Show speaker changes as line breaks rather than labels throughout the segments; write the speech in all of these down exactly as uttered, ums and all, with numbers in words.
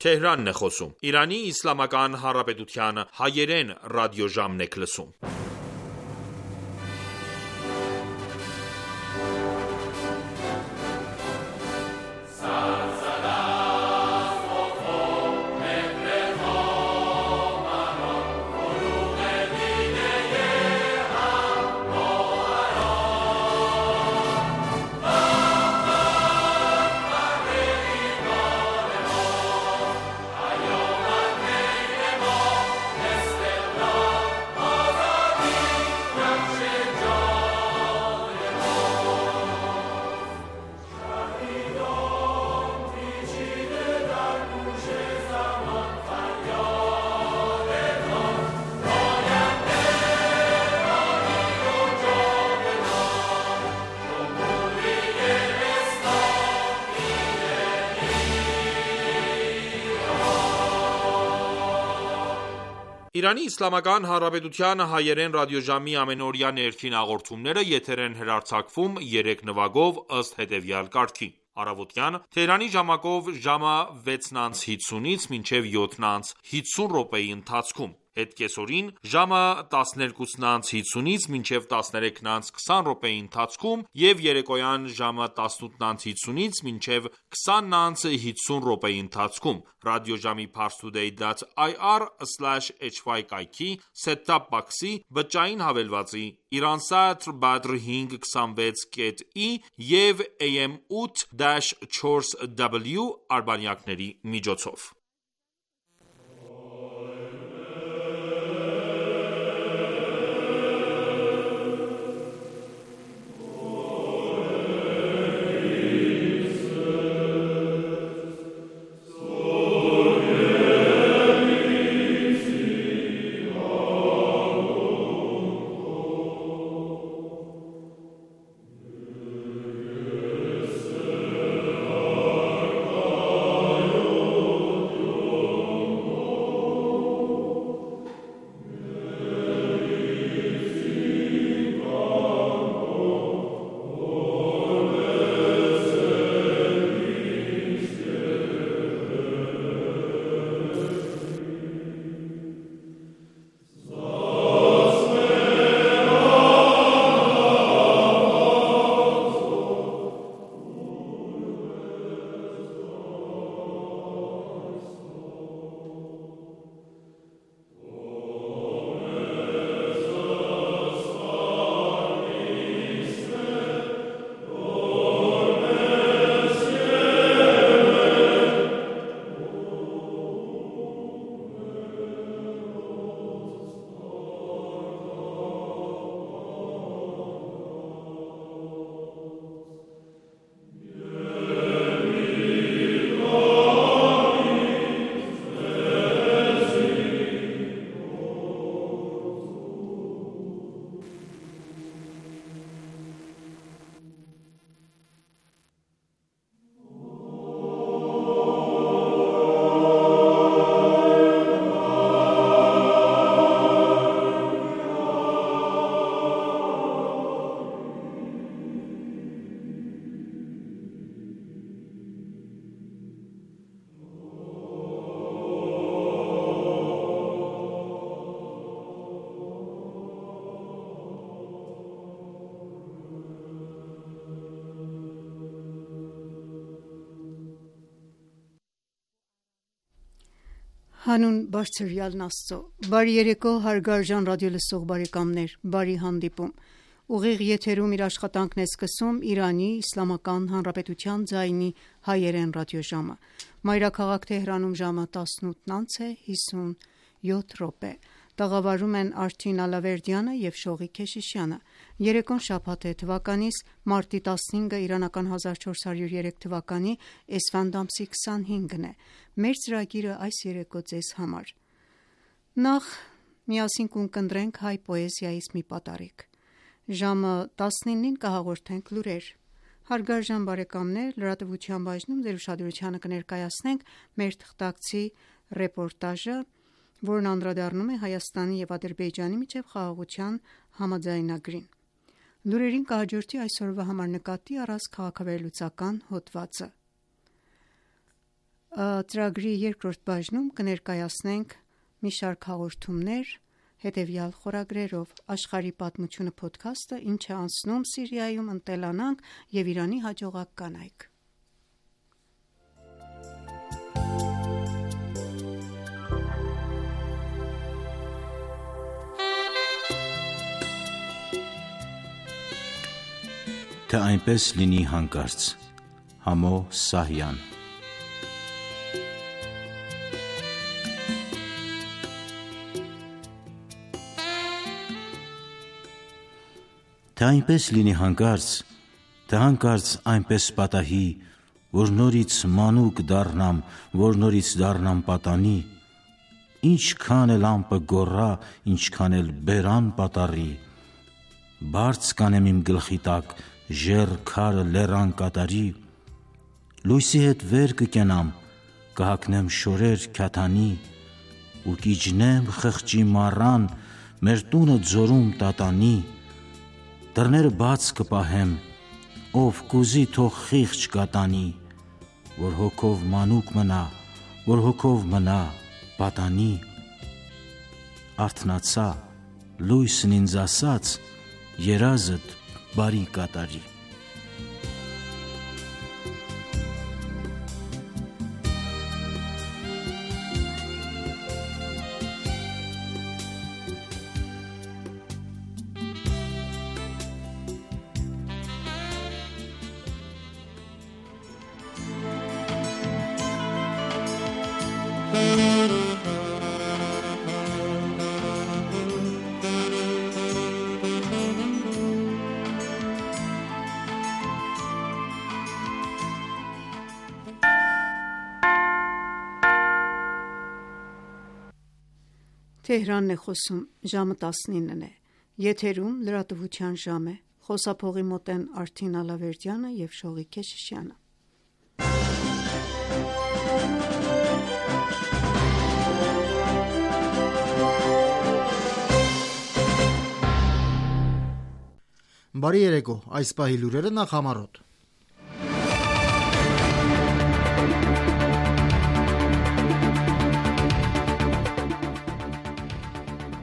Թեհրանն է խոսում։ Իրանի Իսլամական Հանրապետության հայերեն ռադիոժամն եք լսում։ Իրանի Իսլամական Հանրապետության հայերեն ռադիոժամի ամենօրյա ներքին հաղորդումները եթեր են հեռարձակվում երեք նվագով ըստ հետևյալ կարգի. Առավոտյան Թեհրանի ժամակով ժամը վեցն անց հինգից մինչև յոթն անց հինգ րոպեի ընթացքում, հետկեսօրին ժամը տասներկուսն անց հինգից մինչև տասներեքն անց քսան րոպեի ընթացքում և երեկոյան ժամը տասնութն անց հինգից մինչև քսանն անց հինգ րոպեի ընթացքում ռադիոժամի parstoday.ir slash hy կայքի set-top box-ի բջջային հավելվածի Iransaat Badr հինգ քսանվեց կետ ի և A M ութ չորս W արբանյակների միջոցով։
Հանուն բարձրյալն Աստծո, բարի երեկո հարգարժան ռադիոլսող բարեկամներ, բարի հանդիպում: Ուղիղ եթերում իր աշխատանքն է սկսում Իրանի Իսլամական Հանրապետության ձայնի հայերեն ռադիոժամը: Մայրաքաղաք Թեհրանում ժամը տասնութն անց է հիսունյոթ րոպե: Տաղավարում են Արթին Ալավերդյանը և Շողիկ Քեշիշյանը: Երեկոն շաբաթ է, թվականիս մարտի տասնհինգը, իրանական հազար չորս հարյուր երեք թվականի էսֆանդ ամսի քսանհինգն է: Մեր ծրագիրը այս երեկո ձեզ համար: Նախ միասին կունկնդրենք հայ պոեզիայից մի պատառիկ: Ժամը տասնինին կհաղորդենք լուրեր: Հարգարժան բարեկամներ, լրատվության բաժնում ձեր ուշադրությանը կներկայացնենք մեր թղթակցի ռեպորտաժը, որն անդրադառնում է Հայաստանի և Ադրբեջանի միջև խաղաղության համաձայնագրին: Լուրերին կհաջորդի այսօրվա համար նկատի առած քաղաքավերլուծական հոդվածը: Ծրագրի երկրորդ բաժնում կներկայացնենք մի շարք հաղորդումներ հետևյալ խորագրերով. Աշխարհի պատմությունը փոդքասթը, ինչ է անցնում Սիրիայում, ընտելանանք եւ Իրանի հաջողակ կանայք։
Թե այնպես լինի հանկարծ։ Համո Սահյան։ Թե այնպես լինի հանկարծ, թե հանկարծ այնպես պատահի, որ նորից մանուկ դառնամ, որ նորից դառնամ պատանի, ինչքան էլ ամպը գոռա, ինչքան էլ բերան պատառի, բարձ կանեմ իմ գլխի տակ, ժեր քարը լեռան կատարի, լույսի հետ վեր կկենամ, կհագնեմ շորեր քյաթանի, ու կիջնեմ խղճի մառան, մեր տունը ձորում տատանի, դռները բաց կպահեմ, ով կուզի թող խիղճ կատանի, որ հոգով մանուկ մնա, որ հոգով մնա պատանի, արթնացա, լույսն ինձ ասաց, երազդ բարի կատարի։
Թեհրանն է խոսում, ժամը տասնինն է, եթերում լրատվության ժամ է, խոսափողի մոտ են Արթին Ալավերդյանը և Շողիկ Քեշիշյանը։
Բարի երեկո, այս պահի լուրերը նախ համառոտ։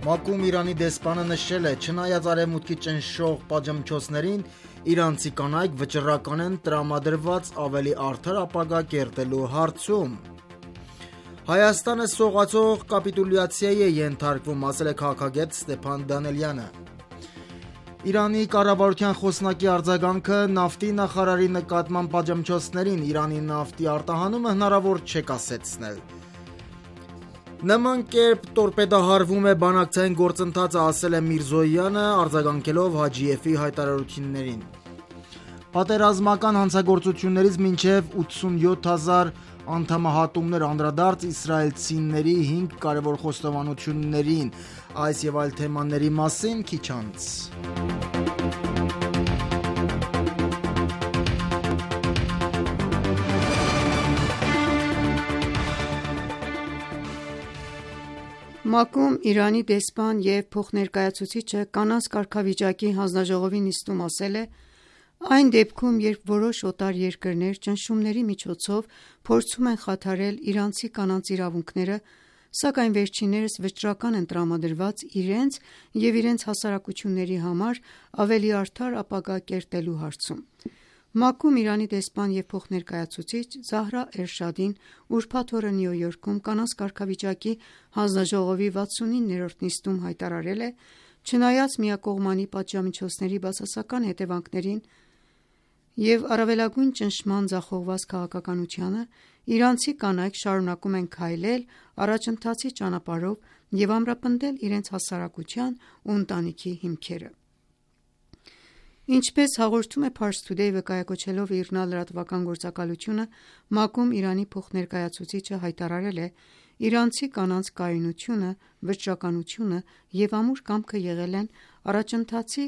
ՄԱԿ-ում Իրանի դեսպանը նշել է, չնայած արևմուտքի ճնշող պատժամիջոցներին, իրանցի կանայք վճռական են տրամադրված ավելի արդար ապագա կերտելու հարցում։ Հայաստանը սողացող կապիտուլյացիայի է ենթարկվում, ասել է քաղաքագետ Ստեփան Դանելյանը։ Իրանի կառավարության խոսնակի արձագանքը նավթի նախարարի նկատմամբ պատժամիջոցներին Իրանի նավթի արտահանումը հնարավոր չէ կասեցնել։ Նման կերպ տորպեդահարվում է բանակցային գործընթացը, ասել է Միրզոյանը, արձագանքելով Հաջիևի հայտարարություններին։ Պատերազմական հանցագործություններից մինչև ութսունյոթ հազար անդամահատումներ անդրադարձ իսրայելցիների հինգ կարևոր խոստովանություններին, այս եւ այլ թեմաների մասին քիչ անց։
ՄԱԿ-ում Իրանի դեսպան և փոխներկայացուցիչը կանանց կարգավիճակի հանձնաժողովի նիստում ասել է. այն դեպքում, երբ որոշ օտար երկրներ ճնշումների միջոցով փորձում են խաթարել իրանցի կանանց իրավունքները, սակայն վերջիններս վճռական են տրամադրված իրենց և իրենց հասարակությունների համար ավելի արդար ապագա կերտելու հարցում։ ՄԱԿ-ում Իրանի դեսպան և փոխներկայացուցիչ Զահրա Էրշադին ուրբաթ օրը Նյու Յորքում կանանց կարգավիճակի հանձնաժողովի վաթսունիններորդ նիստում հայտարարել է. չնայած միակողմանի պատժամիջոցների բացասական հետևանքներին և առավելագույն ճնշման ձախողված քաղաքականությանը, իրանցի կանայք շարունակում են քայլել առաջընթացի ճանապարհով և ամրապնդել իրենց հասարակության ու ընտանիքի հիմքերը։ Ինչպես հաղորդում է Pars Today վկայակոչելով ԻՌՆԱ լրատվական գործակալությունը, ՄԱԿ-ում Իրանի փոխներկայացուցիչը հայտարարել է. իրանցի կանանց կայունությունը, վճռականությունը և ամուր կամքը եղել են առաջընթացի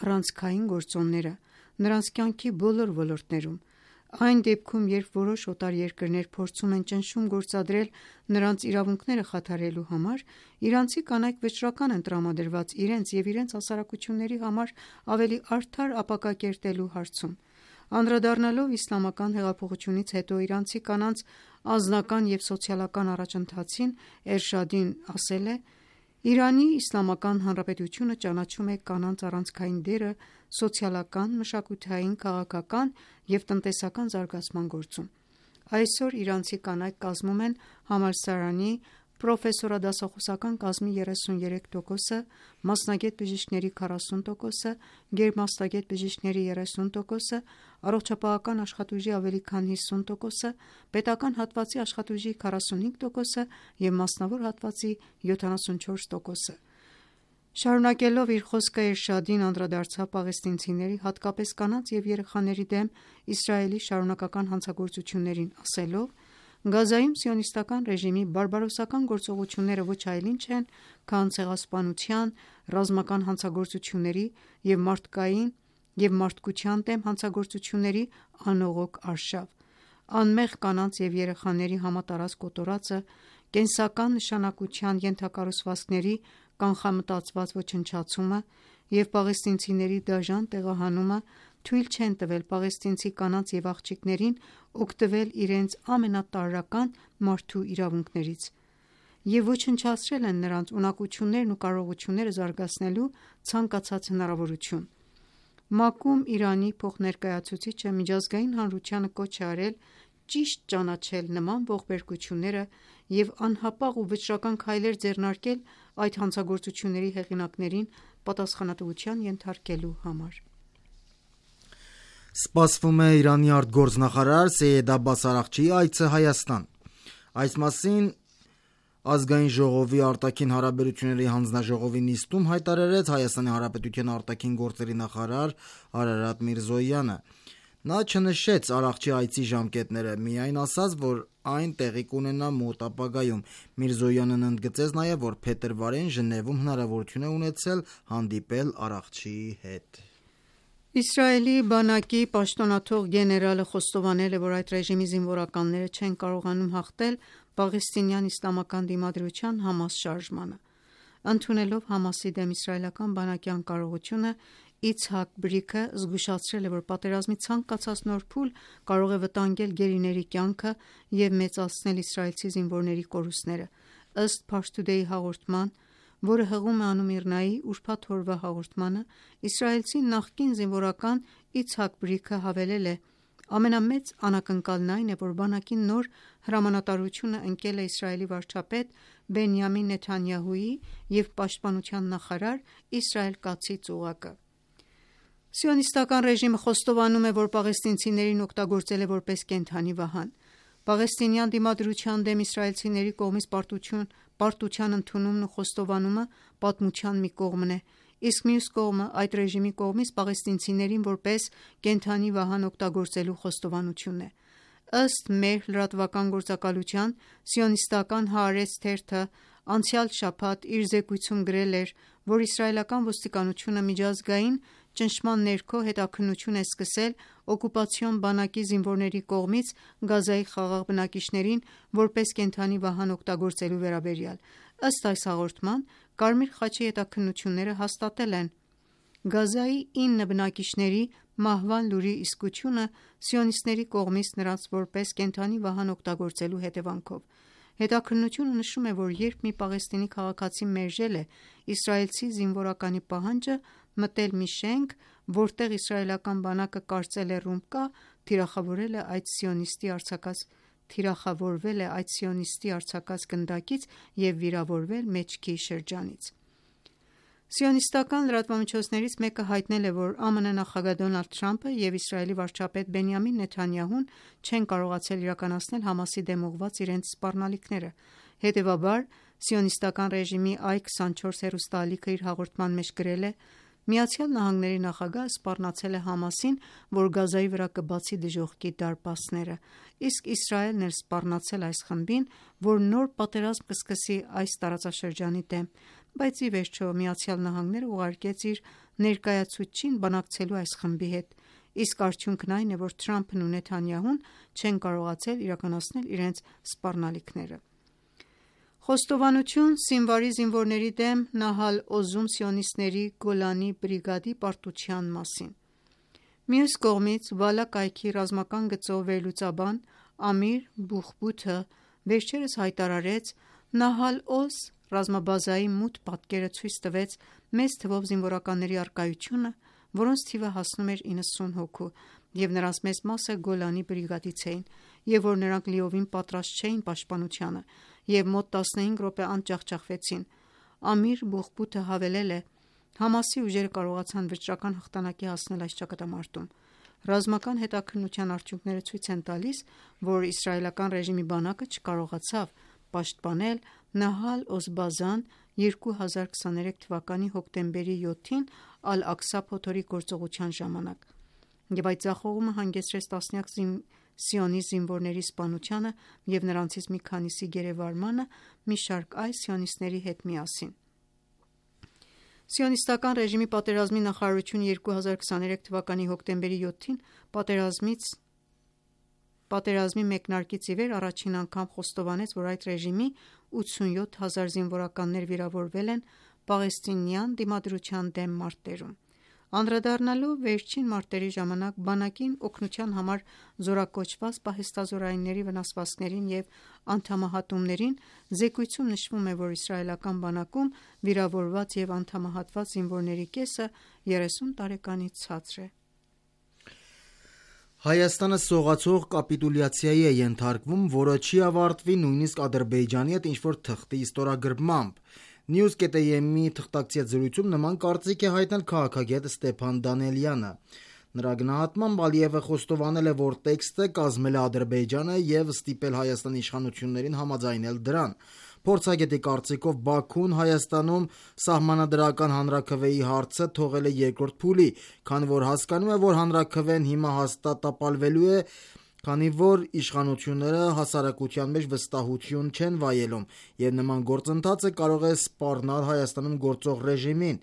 առանցքային գործոնները նրանց կյանքի բոլոր ոլորտներում։ Այն դեպքում, երբ որոշ օտար երկրներ փորձում են ճնշում գործադրել նրանց իրավունքները խաթարելու համար, իրանցի կանայք վճռական են տրամադրված իրենց և իրենց հասարակությունների համար ավելի արդար ապագա կերտելու հարցում։ Անդրադառնալով իսլամական հեղափոխությունից հետո իրանցի կանանց անձնական և սոցիալական առաջընթացին, Էրշադին ասել է. «Իրանի Իսլամական Հանրապետությունը ճանաչում է կանանց առանցքային դերը սոցիալական, մշակութային, քաղաքական և տնտեսական զարգացման գործում։ Այսօր իրանցի կանայք կազմում են համալսարանի պրոֆեսորադասախոսական կազմի երեսուներեք տոկոսը, մասնագետ բժիշկների քառասուն տոկոսը, գերմաստագետ բժիշկների երեսուն տոկոսը, առողջապահական աշխատուժի ավելի քան հիսուն տոկոսը, պետական հատվածի աշխատուժի քառասունհինգ տոկոսը և մասնավոր հատվածի յոթանասունչորս տոկոսը»։ Շարունակելով իր խոսքը Էրշադին անդրադարձավ պաղեստինցիների, հատկապես կանանց և երեխաների դեմ Իսրայելի շարունակական հանցագործություններին, ասելով. «Գազայում սիոնիստական ռեժիմի բարբարոսական գործողությունները ոչ այլ ինչ են, քան ցեղասպանության, ռազմական հանցագործությունների և մարդկային և մարդկության դեմ հանցագործությունների անողոք արշավ։ Անմեղ կանանց և երեխաների համատարած կոտորածը, կենսական նշանակության ենթակառուցվածքների կանխամտածված ոչնչացումը և պաղեստինցիների դաժան տեղահանումը թույլ չեն տվել պաղեստինցի կանանց և աղջիկներին օգտվել իրենց ամենատարրական մարդու իրավունքներից և ոչնչացրել են նրանց ունակություններն ու կարողությունները զարգացնելու ցանկացած հնարավորություն»։ ՄԱԿ-ում Իրանի փոխներկայացուցիչը միջազգային հանրությանը կոչ է արել ճիշտ ճանաչել նման ողբերգությունները և անհապաղ ու վճռական քայլեր ձեռնարկել այդ հանցագործությունների հեղինակներին պատասխանատվության ենթարկելու համար։
Սպասվում է Իրանի արտգործնախարար Սեյեդ Աբբաս Արաղչիի այցը Հայաստան։ Այս մասին Ազգային ժողովի արտաքին հարաբերությունների հանձնաժողովի նիստում հայտարարեց Հայաստանի Հանրապետության արտաքին գործերի նախարար Արարատ Միրզոյանը։ Նա չնշեց Արաղչի այցի ժամկետները, միայն ասաց, որ այն տեղի կունենա մոտ ապագայում։ Միրզոյանն ընդգծեց նաև, որ փետրվարին Ժնևում հնարավորություն է ունեցել հանդիպել Արաղչիի հետ։
Իսրայելի բանակի պաշտոնաթող գեներալը խոստովանել է, որ այդ ռեժիմի զինվորականները չեն կարողանում հաղթել պաղեստինյան իսլամական դիմադրության Համաս շարժմանը։ Ընդունելով Համասի դեմ իսրայելական բանակի անկարողությունը, Իցհակ Բրիքը զգուշացրել է, որ պատերազմի ցանկացած նոր փուլ կարող է վտանգել գերիների կյանքը և մեծացնել իսրայելցի զինվորների կորուստները։ Ըստ Pars Today հաղորդման, որը հղում է անում ԻՌՆԱ-ի, ուրբաթ օրվա հաղորդմանը, իսրայելցի նախկին զինվորական Իցհակ Բրիքը հավելել է. «Ամենամեծ անակնկալն այն է, որ բանակի նոր հրամանատարությունը ընկել է Իսրայելի վարչապետ Բենյամին Նեթանյահուի և պաշտպանության նախարար Իսրայել Կացի ծուղակը»։ Սիոնիստական ռեժիմը խոստովանում է, որ պաղեստինցիներին օգտագործել է որպես կենդանի վահան։ Պաղեստինյան դիմադրության դեմ իսրայելցիների կողմից պարտություն, պարտության ընդունումն ու խոստովանումը պատմության մի կողմն է, իսկ մյուս կողմը այդ ռեժիմի կողմից պաղեստինցիներին որպես կենդանի վահան օգտագործելու խոստովանությունն է։ Ըստ մեր լրատվական գործակալության, սիոնիստական Հaaretz թերթը անցյալ շաբաթ իր զեկույցում գրել էր, որ իսրայելական ոստիկանությունը միջազգային ճնշման ներքո հետաքննություն է սկսել օկուպացիոն բանակի զինվորների կողմից Գազայի խաղաղ բնակիչներին որպես կենդանի վահան օգտագործելու վերաբերյալ։ Ըստ այս հաղորդման, Կարմիր խաչի հետաքննությունները հաստատել են Գազայի ինը բնակիչների մահվան լուրի իսկությունը սիոնիստների կողմից նրանց որպես կենդանի վահան օգտագործելու հետևանքով։ Հետաքննությունը նշում է, որ երբ մի պաղեստինի քաղաքացի մերժել է իսրայելցի զինվորականի պահանջը մտել մի շենք, որտեղ իսրայելական բանակը կարծել է ռումբ կա, թիրախավորվել է այդ սիոնիստի արձակած թիրախավորվել է այդ սիոնիստի արձակած գնդակից և վիրավորվել մեջքի շրջանից։ Սիոնիստական լրատվամիջոցներից մեկը հայտնել է, որ ԱՄՆ նախագահ Դոնալդ Թրամփը և Իսրայելի վարչապետ Բենյամին Նեթանյահուն չեն կարողացել իրականացնել Համասի դեմ ուղղված իրենց սպառնալիքները։ Հետևաբար, սիոնիստական ռեժիմի Այ քսանչորս հեռուստաալիքը իր հաղորդման մեջ գրել է. «ԱՄՆ նախագահը սպառնացել է Համասին, որ Գազայի վրա կբացի դժոխքի դարպասները, իսկ Իսրայելն էլ սպառնացել այս խմբին, որ նոր պատերազմ կսկսի այս տարածաշրջանի դեմ, բայց ի վերջո ԱՄՆ-ն ուղարկեց իր ներկայացուցչին բանակցելու այս խմբի հետ, իսկ արդյունքն այն է, որ Թրամփն ու Նեթանյահուն չեն կարողացել իրականացնել իրենց սպառնալիքները»։ Խոստովանություն Սինվարի զինվորների դեմ Նահալ Օզում սիոնիստների Գոլանի բրիգադի պարտության մասին։ Մյուս կողմից Վալա կայքի ռազմական գծով վերլուծաբան Ամիր Բուխբութը վերջերս հայտարարեց. «Նահալ Օզ ռազմաբազայի մութ պատկերը ցույց տվեց մեծ թվով զինվորականների առկայությունը, որոնց թիվը հասնում էր իննսուն հոգու, և նրանց մեծ մասը Գոլանի բրիգադից էին, և որ նրանք լիովին պատրաստ չէին պաշտպանությանը, և մոտ տասնհինգ րոպե անց ջախջախվեցին»։ Ամիր Բուխբութը հավելել է. «Համասի ուժերը կարողացան վճռական հաղթանակի հասնել այս ճակատամարտում։ Ռազմական հետաքննության արդյունքները ցույց են տալիս, որ իսրայելական ռեժիմի բանակը չկարողացավ պաշտպանել Նահալ Օզ բազան երկու հազար քսաներեք թվականի հոկտեմբերի յոթին Ալ-Աքսա փոթորիկ գործողության ժամանակ, և այդ ձախողումը հանգեցրեց տասնյակ սիոնիստ զինվորների սպանությանը և նրանցից մի քանիսի գերեվարմանը մի շարք այլ սիոնիստների հետ միասին»։ Սիոնիստական ռեժիմի պատերազմի նախարարությունը երկու հազար քսաներեք թվականի հոկտեմբերի յոթին պատերազմի մեկնարկից ի վեր առաջին անգամ խոստովանեց, որ այդ ռեժիմի ութսունյոթ հազար զինվորականներ վիրավորվել են պաղեստինյան դիմադրության դեմ մարտերում։ Անդրադառնալով վերջին մարտերի ժամանակ բանակին օգնության համար զորակոչված պահեստազորայինների վնասվածքներին և անդամահատումներին, զեկույցում նշվում է, որ իսրայելական բանակում վիրավորված և անդամահատված զինվորների կեսը երեսուն տարեկանից ցածր է։
Հայաստանը սողացող կապիտուլյացիայի է ենթարկվում, որը չի ավարտվի նույնիսկ Ադրբեջանի հետ ինչ-որ թղթի ստորագրմամբ։ News.am-ի թղթակցի հետ զրույցում նման կարծիք է հայտնել քաղաքագետ Ստեփան Դանիելյանը։ Նրա գնահատմամբ Ալիևը խոստովանել է, որ տեքստը կազմել է Ադրբեջանը և ստիպել Հայաստանի իշխանություններին համաձայնել դրան։ Փորձագետի կարծիքով Բաքուն Հայաստանում սահմանադրական հանրաքվեի հարցը թողել է երկրորդ փուլի, քանի որ հասկանում է, որ հանրաքվեն հիմա հաստատ տապալվելու է, քանի որ իշխանությունները հասարակության մեջ վստահություն չեն վայելում, և նման գործընթացը կարող է սպառնալ Հայաստանում գործող ռեժիմին։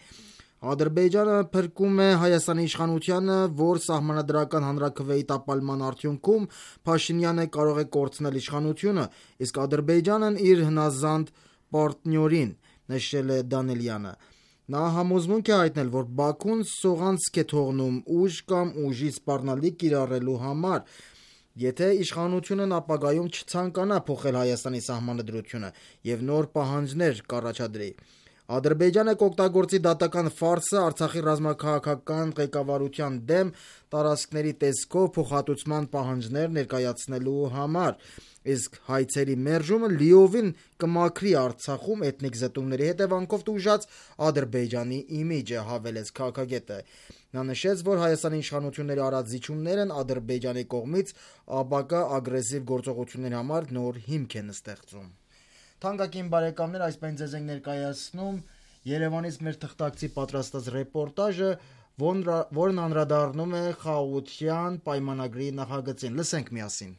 Ադրբեջանը փրկում է Հայաստանի իշխանությանը, որ սահմանադրական հանրաքվեի տապալման արդյունքում Փաշինյանը կարող է կորցնել իշխանությունը, իսկ Ադրբեջանն իր հնազանդ պարտնյորին, նշել է Դանիելյանը։ Նա համոզմունք է հայտնել, որ Բաքուն սողանցք է թողնում ուժ կամ ուժի սպառնալիք կիրառելու համար, եթե իշխանությունն ապագայում չցանկանա փոխել Հայաստանի սահմանադրությունը և նոր պահանջներ կառաջադրի։ Ադրբեջանը կօգտագործի դատական ֆարսը Արցախի ռազմաքաղաքական ղեկավարության դեմ տարածքների տեսքով փոխհատուցման պահանջներ ներկայացնելու համար, իսկ հայցերի մերժումը լիովին կմաքրի Արցախում էթնիկ զտումների հետևանքով տուժած Ադրբեջանի իմիջը, հավելեց քաղաքագետը։ Նա նշեց, որ Հայաստանի իշխանությունների արած զիջումներն Ադրբեջանի կողմից ապագա ագրեսիվ գործողությունների համար նոր հիմք են ստեղծում։ Թանկագին բարեկամներ, այսպես ձեզ ենք ներկայացնում Երևանից մեր թղթակցի պատրաստած ռեպորտաժը, որն անդրադառնում է խաղաղության պայմանագրի նախագծին։ Լսենք միասին։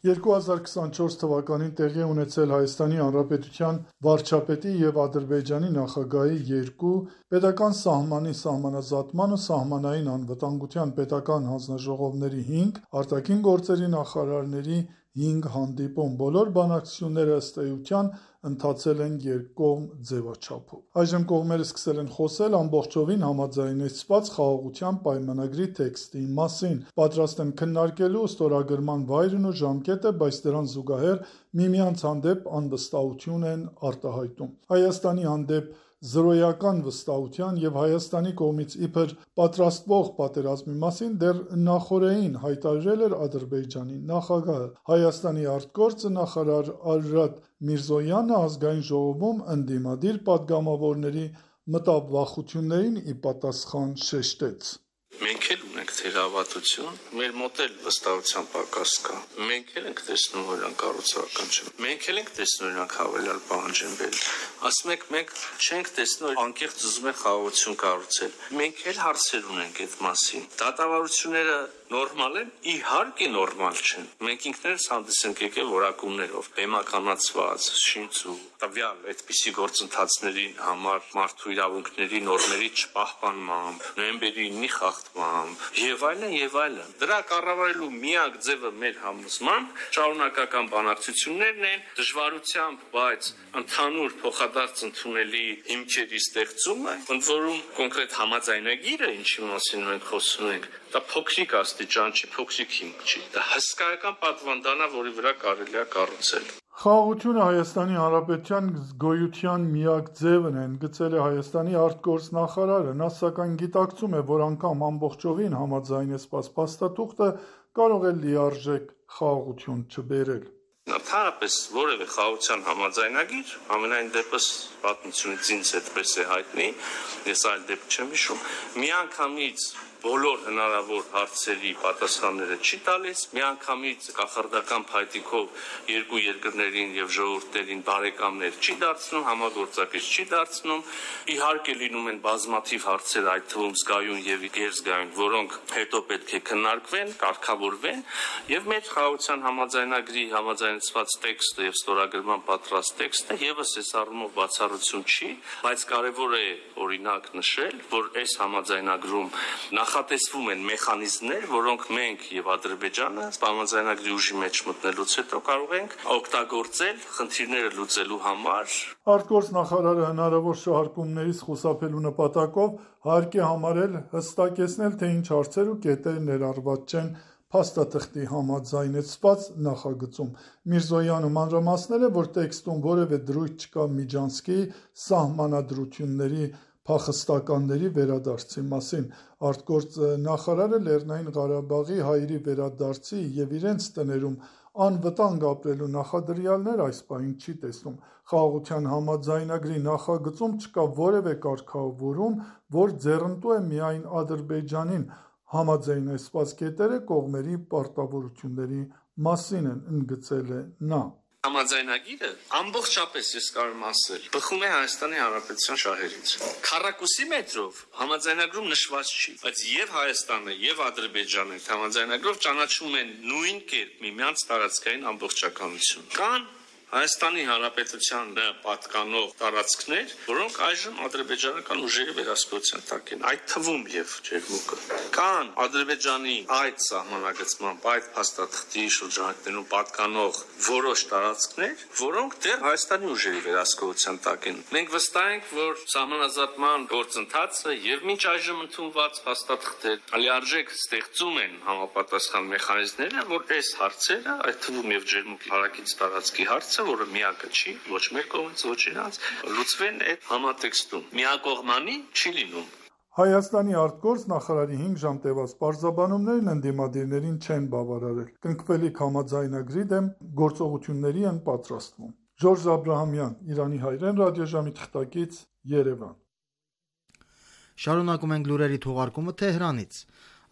երկու հազար քսանչորս թվականին տեղի է ունեցել Հայաստանի Հանրապետության վարչապետի և Ադրբեջանի նախագահի երկու, պետական սահմանի սահմանազատման ու սահմանային անվտանգության պետական հանձնաժողովների հինգ, արտաքին գործերի նախարարների հինգ հանդիպում։ Բոլոր բանակցությունները ըստ էության ընթացել են երկկողմ ձևաչափով։ Այժմ կողմերը սկսել են խոսել ամբողջովին համաձայնեցված խաղաղության պայմանագրի տեքստի մասին։ Պատրաստ են քննարկելու ստորագրման վայրն ու ժամկետը, բայց դրան զուգահեռ միմյանց հանդեպ անվստահություն են արտահայտում։ Հայաստանի հանդեպ զրոյական վստահության և Հայաստանի կողմից իբր պատրաստվող պատերազմի մասին դեռ նախօրեին հայտարարել էր Ադրբեջանի նախագահը։ Հայաստանի արտգործը նախարար Արարատ Միրզոյանը Ազգային ժողովում ընդդիմադիր պատգամավորների մտավախություններին ի պատասխան շեշտեց.
Մենք էլ ունենք թերավատություն, մեր մոտ էլ վստահության պակաս կա։ Մենք էլ ենք տեսնում, որ իրանք կառուցողական չեն։ Մենք էլ ենք տեսնում, որ իրանք հավելյալ պահանջ են բերել։ Ասում եք, մենք չենք տեսնում, որ անկեղծ ուզում են խաղաղություն կառուցել։ Մենք էլ հարցեր ունենք այդ մասին։ Դատավարությունները նորմալ են, իհարկե նորմալ չեն։ Մենք ինքներս հանդես ենք եկել որակումներով, բեմականացված, շինծու, տվյալ այդպիսի գործընթացների համար մարդու իրավունքների նորմերի չպահպանմամբ, նոյեմբերի իննի խախտմամբ եւ եւ այլն եւ այլն։ Դրա կառավարելու միակ ձևը մեր համոզմամբ շարունակական բանակցություններն են, դժվարությամբ, բայց ընդհանուր փոխադարձ ընդունելի հիմքերի ստեղծումը, ընդ որում կոնկրետ համաձայնագիրը, ինչի մասին մենք խոսում ենք, դա փոքրիկ աստիճան չի, փոքրիկ հիմք չի։ Դա հսկայական պատվանդան է, որի վրա կարելի է կառուցել։
Խաղաղությունը Հայաստանի Հանրապետության գոյության միակ ձևն է, ընդգծել է Հայաստանի արտգործնախարարը, նա սակայն գիտակցում է, որ անգամ ամբողջովին համաձայնեցված փաստաթուղթը կարող է լիարժեք խաղաղություն չբերել։
Ընդհանրապես որևէ խաղաղության համաձայնագիր, ամենայն դեպս պատմությունից ինձ այդպես է հայտնի, ես այլ դեպք չեմ հիշում, միանգամից բոլոր հնարավոր հարցերի պատասխանները չի տալիս, միանգամից կախարդական փայտիկով երկու երկրներին եւ ժողովուրդներին բարեկամներ չի դարձնում, համագործակից չի դարձնում, իհարկե լինում են բազմաթիվ հարցեր, այդ թվում զգայուն եւ գերզգայուն, որոնք հետո պետք է քննարկվեն, կարգավորվեն եւ մեր խաղաղության համաձայնագրի համաձայնեցված տեքստը եւ ստորագրման պատրաստ տեքստը եւս այս առումով բացառություն չի, բայց կարեւոր է օրինակ նշել, որ այս համաձայնագրում նախատեսվում են մեխանիզմներ, որոնք մենք եւ Ադրբեջանը համաձայնագրի ուժի մեջ մտնելուց հետո կարող ենք օգտագործել խնդիրները լուծելու համար։
Արտգործնախարարը հնարավոր շահարկումներից խուսափելու նպատակով հարկ է համարել հստակեցնել, թե ինչ հարցեր ու կետեր ներառված չեն փաստաթղթի համաձայնեցված նախագծում։ Միրզոյանը մանրամասնել է, որ տեքստում որևէ դրույթ չկա Միջանցքի սահմանադրությունների փախստականների վերադարձի մասին։ Արտգործնախարարը Լեռնային Ղարաբաղի հայերի վերադարձի եւ իրենց տներում անվտանգ ապրելու նախադրյալներ այս պահին չի տեսնում։ Խաղաղության համաձայնագրի նախագծում չկա որևէ կարգավորում, որ ձեռնտու է միայն Ադրբեջանին, համաձայնեցված կետերը կողմերի պարտավորությունների մասին են, ընդգծել է նա։
Համաձայնագիրը ամբողջապես ես կարող եմ ասել բխում է Հայաստանի Հանրապետության շահերից։ Քառակուսի մետրով համաձայնագրում նշված չի, բայց եւ Հայաստանը եւ Ադրբեջանը համաձայնագրով ճանաչում են նույն կերպ միմյանց տարածքային ամբողջականություն։ Կան Հայաստանի Հանրապետությանը պատկանող տարածքներ, որոնք այժմ ադրբեջանական ուժերի վերահսկողության տակ են, այդ թվում եւ Ջերմուկը։ Կան Ադրբեջանի այդ սահմանագծման, այդ փաստաթղթի շրջանակներում պատկանող որոշ տարածքներ, որոնք դեռ Հայաստանի ուժերի վերահսկողության տակ են։ Մենք վստահ ենք, որ սահմանազատման գործընթացը եւ մինչ այժմ ընդունված փաստաթղթեր լիարժեք ստեղծում են համապատասխան մեխանիզմները, որ այս հարցերը, այդ թվում եւ Ջերմուկի հարակից տարածքի հարցը, որը միակը չի, ոչ մեր կողմից, ոչ իրանց, լուծվեն այդ համատեքստում։ Միակողմանի չի լինում։
Հայաստանի արտգործնախարարի հինգ ժամ տևած պարզաբանումներն ընդդիմադիրներին չեն բավարարել։ Կնքվելիք համաձայնագրի դեմ գործողությունների են պատրաստվում։ Ժորժ Աբրահամյան, Իրանի հայրեն ռադիոժամի թղթակից, Երևան։
Շարունակում ենք լուրերի թողարկումը Թեհրանից։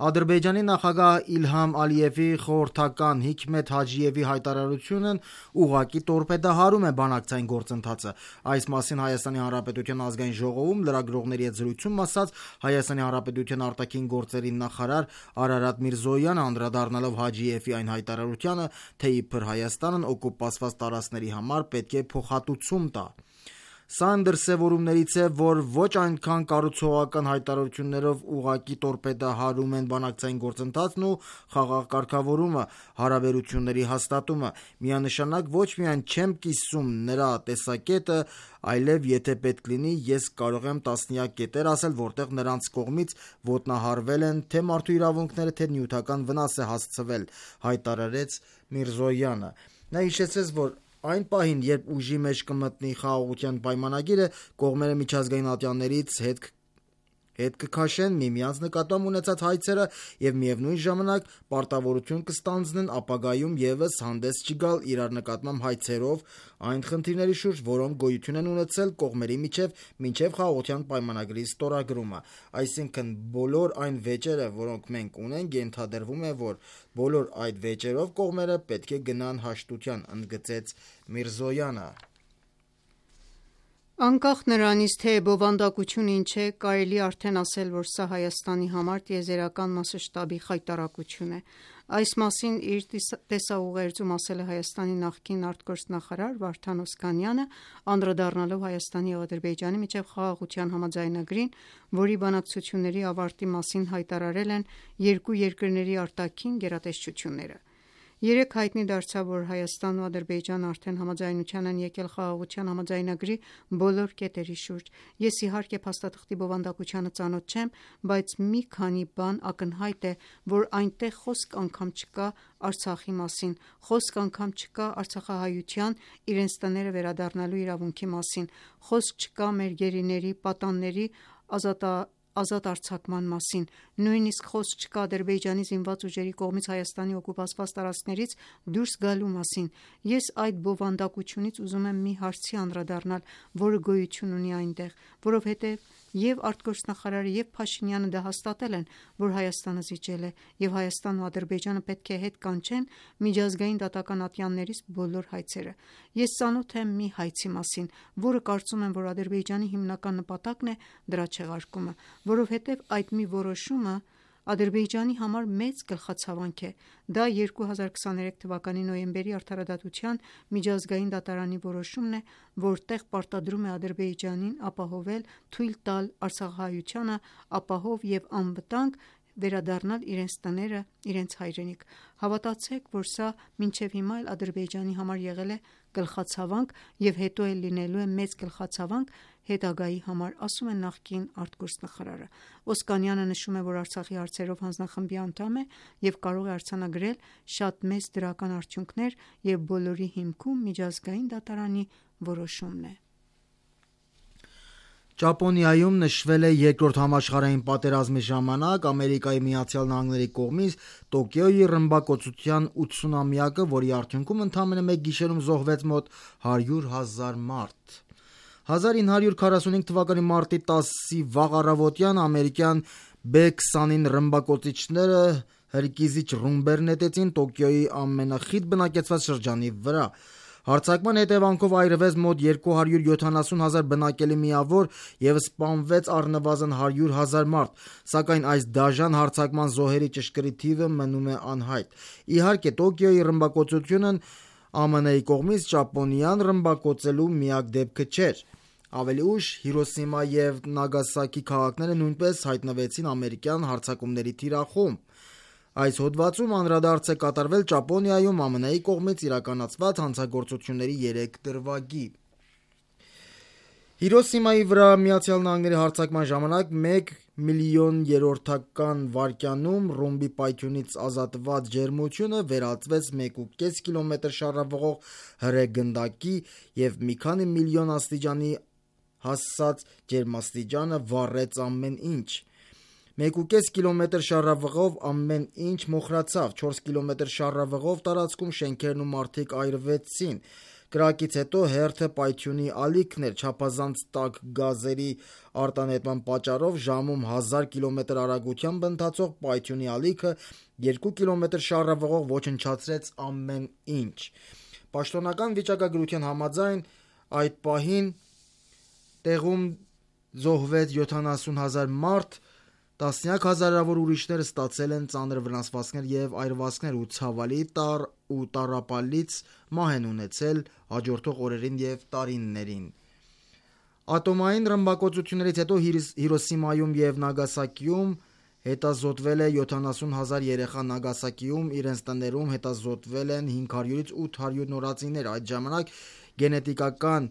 Ադրբեջանի նախագահ Իլհամ Ալիևի խորհրդական Հիքմեթ Հաջիևի հայտարարությունն ուղղակի տորպեդահարում է բանակցային գործընթացը։ Այս մասին Հայաստանի Հանրապետության ազգային ժողովում լրագրողների հետ զրույցում ասաց Հայաստանի Հանրապետության արտաքին գործերի նախարար Արարատ Միրզոյանը, անդրադառնալով Հաջիևի այն հայտարարությանը, թե իբր Հայաստանն օկուպացված տարածքների համար պետք է փոխհատուցում տա։ Սա դրսևորումներից է, որ ոչ այնքան կառուցողական հայտարարություններով ուղղակի տորպեդահարում են բանակցային գործընթացն ու խաղաղ կարգավորումը, հարաբերությունների հաստատումը։ Միանշանակ ոչ միայն չեմ կիսում նրա տեսակետը, այլև եթե պետք լինի, ես կարող եմ տասնյակ կետեր ասել, որտեղ նրանց կողմից ոտնահարվել են թե մարդու իրավունքները, թե նյութական վնաս է հասցվել, հայտարարեց Միրզոյանը։ Նա հիշեցրեց, որ այն պահին, երբ ուժի մեջ կմտնի խաղաղության պայմանագիրը, կողմերը միջազգային ատյաններից հետ հետ կքաշեն միմյանց նկատմամբ ունեցած հայցերը եւ միևնույն ժամանակ պարտավորություն կստանձնեն ապագայում եւս հանդես չգալ իրար նկատմամբ հայցերով այն խնդիրների շուրջ, որոնք գոյություն են ունեցել կողմերի միջև մինչև խաղաղության պայմանագրի ստորագրումը։ Այսինքն բոլոր այն վեճերը, որոնք մենք ունենք, ենթադրվում է, որ բոլոր այդ վեճերով կողմերը պետք է գնան հաշտության, ընդգծեց Միրզոյանը։
Անկախ նրանից, թե բովանդակությունը ինչ է, կարելի է արդեն ասել, որ սա Հայաստանի համար տիեզերական մասշտաբի խայտառակություն է: Այս մասին իր տեսաուղերձում ասել է Հայաստանի նախկին արտգործնախարար Վարդան Օսկանյանը, անդրադառնալով Հայաստանի և Ադրբեջանի միջև Խաղաղության համաձայնագրին, որի բանակցությունների ավարտի մասին հայտարարել են երկու երկրների արտաքին գերատեսչությունները: Երեկ հայտնի դարձավ, որ Հայաստանն ու Ադրբեջանը արդեն համաձայնության են եկել Խաղաղության համաձայնագրի բոլոր կետերի շուրջ: Ես իհարկե փաստաթղթի բովանդակությանը ծանոթ չեմ, բայց մի քանի բան ակնհայտ է, որ այնտեղ խոսք անգամ չկա Արցախի մասին, խոսք անգամ չկա արցախահայության իրենց տները վերադառնալու իրավունքի մասին, խոսք չկա մեր գերիների, պատանների ազատ արձակման մասին, նույնիսկ խոսք չկա Ադրբեջանի զինված ուժերի կողմից Հայաստանի օկուպացված տարածքներից դուրս գալու մասին: Ես այդ բովանդակությունից ուզում եմ մի հարցի անդրադառնալ, որը գոյություն ունի այնտեղ, որովհետև և արտգործնախարարը և Փաշինյանը դա հաստատել են, որ Հայաստանը զիջել է, և Հայաստանն ու Ադրբեջանը պետք է հետ կանչեն միջազգային դատական ատյաններից բոլոր հայցերը: Ես ծանոթ եմ մի հայցի մասին, որը կարծում եմ, որ Ադրբեջանի հիմնական նպատակն է դրա չեղարկումը, որովհետև այդ մի որոշումը Ադրբեջանի համար մեծ գլխացավանք է: Դա երկու հազար քսաներեք թվականի նոյեմբերի Արդարադատության միջազգային դատարանի որոշումն է, որտեղ պարտադրում է Ադրբեջանին ապահովել թույլ տալ արցախահայությանը ապահով և անվտանգ վերադառնալ իրենց տները, իրենց հայրենիք: Հավատացեք, որ սա մինչև հիմա էլ Ադրբեջանի համար եղել է գլխացավանք և հետո էլ լինելու է մեծ գլխացավանք հետագայի համար, ասում է նախկին արտգործնախարարը: Օսկանյանը նշում է, որ Արցախի հարցերով հանձնախմբի անդամ է և կարող է արձանագրել շատ մեծ դրական արդյունքներ և բոլորի հիմքում միջազգային դատարանի որոշումն է:
Ճապոնիայում նշվել է Երկրորդ համաշխարհային պատերազմի ժամանակ ԱՄՆ-ի կողմից Տոկիոյի ռմբակոծության ութսունամյակը, որի արդյունքում ընդամենը մեկ գիշերում զոհվեց մոտ հարյուր հազար մարդ: հազար ինը հարյուր քառասունհինգ թվականի մարտի տասի վաղ առավոտյան ամերիկյան B քսանինը ռմբակոծիչները հրկիզիչ ռումբեր նետեցին Տոկիոյի ամենախիտ բնակեցված շրջանի վրա: Հարձակման հետևանքով այրվեց մոտ երկու հարյուր յոթանասուն հազար բնակելի միավոր և սպանվեց առնվազն հարյուր հազար մարդ, սակայն այս դաժան հարձակման զոհերի ճշգրիտ թիվը մնում է անհայտ: Իհարկե, Տոկիոյի ռմբակոծությունն ԱՄՆ-ի կողմից Ճապոնիան ռմբակոծելու միակ դեպքը չէր: Ավելի ուշ Հիրոսիմա և Նագասակի քաղաքները նույնպես հայտնվեցին ամերիկյան հարձակումների թիրախում: Այս հոդվածում անդրադարձ է կատարվել Ճապոնիայում ԱՄՆ-ի կողմից իրականացված հանցագործությունների երեք դրվագի: Հիրոսիմայի վրա ԱՄՆ-ի հարձակման ժամանակ մեկ միլիոներորդական վայրկյանում ռումբի պայթյունից ազատված ջերմությունը վերածվեց մեկուկես կիլոմետր շառավղող հրե գնդակի և մի քանի միլիոն աստիճանի հասած ջերմաստիճանը վառեց ամեն ինչ: Մեկուկես կիլոմետր շառավղով ամեն ինչ մոխրացավ: չորս կիլոմետր շառավղով տարածքում շենքերն ու մարդիկ այրվեցին: Կրակից հետո հերթը պայթյունի ալիքն էր: Չափազանց տաք գազերի արտանետման պատճառով ժամում հազար կիլոմետր արագությամբ ընթացող պայթյունի ալիքը երկու կիլոմետր շառավղով ոչնչացրեց ամեն ինչ: Պաշտոնական վիճակագրության համաձայն այդ պահին տեղում զոհվեց յոթանասուն հազար մարդ, տասնյակ հազարավոր ուրիշներ ստացել են ծանր վնասվածքներ և այրվածքներ ու ցավալի ու տառապալից մահ են ունեցել հաջորդող օրերին և տարիներին: Ատոմային ռմբակոծություններից հետո Հիրոսիմայում և Նագասակիում հետազոտվել է յոթանասուն հազար երեխա: Նագասակիում իրենց տներում հետազոտվել են հինգ հարյուրից ութ հարյուր նորածիններ: Այդ ժամանակ գենետիկական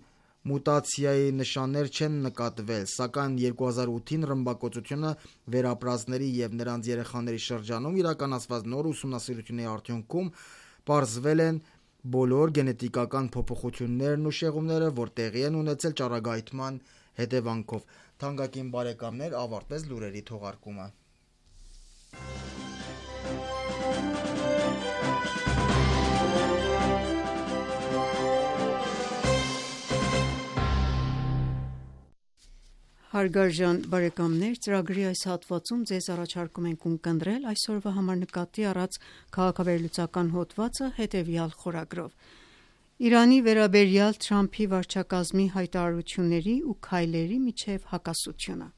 մուտացիայի նշաններ չեն նկատվել, սակայն երկու հազար ութին ռմբակոծությունը վերապրածների և նրանց երեխաների շրջանում իրականացված նոր ուսումնասիրությունների արդյունքում պարզվել են բոլոր գենետիկական փոփոխություններն ու շեղումները, որ տեղի են ունեցել ճառագայթման հետևանքով: Թանկագին բարեկամներ, ավարտվեց լուրերի թողարկումը:
Հարգարժան բարեկամներ, ծրագրի այս հատվածում ձեզ առաջարկում ենք ունկնդրել այսօրվա համար նկատի առած քաղաքավերլուծական հոդվածը հետևյալ խորագրով: Իրանի վերաբերյալ Թրամփի վարչակազմի հայտարարությունների ու քայլերի միջև հակասությունը։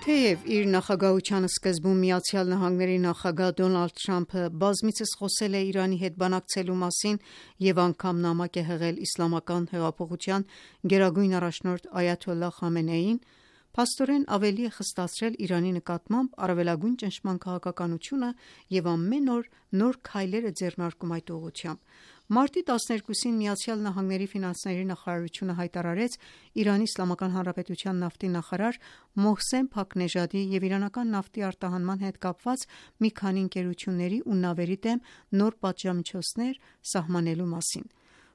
Թեև իր նախագահության սկզբում Միացյալ Նահանգների նախագահ Դոնալդ Թրամփը բազմիցս խոսել է Իրանի հետ բանակցելու մասին և անգամ նամակ է հղել Իսլամական հեղափոխության գերագույն առաջնորդ Այաթոլլահ Խամենեիին, փաստորեն ավելի է խստացրել Իրանի նկատմամբ առավելագույն ճնշման քաղաքականությունը և ամեն օր նոր քայլեր է ձեռնարկում այդ ուղղությամբ։ Մարտի տասներկուսին Միացյալ Նահանգների ֆինանսների նախարարությունը հայտարարեց Իրանի Իսլամական Հանրապետության նավթի նախարար Մոհսեն Փաքնեժադի և իրանական նավթի արտահանման հետ կապված մի քանի ընկերությունների ու նավերի դեմ նոր պատժամիջոցներ սահմանելու մասին։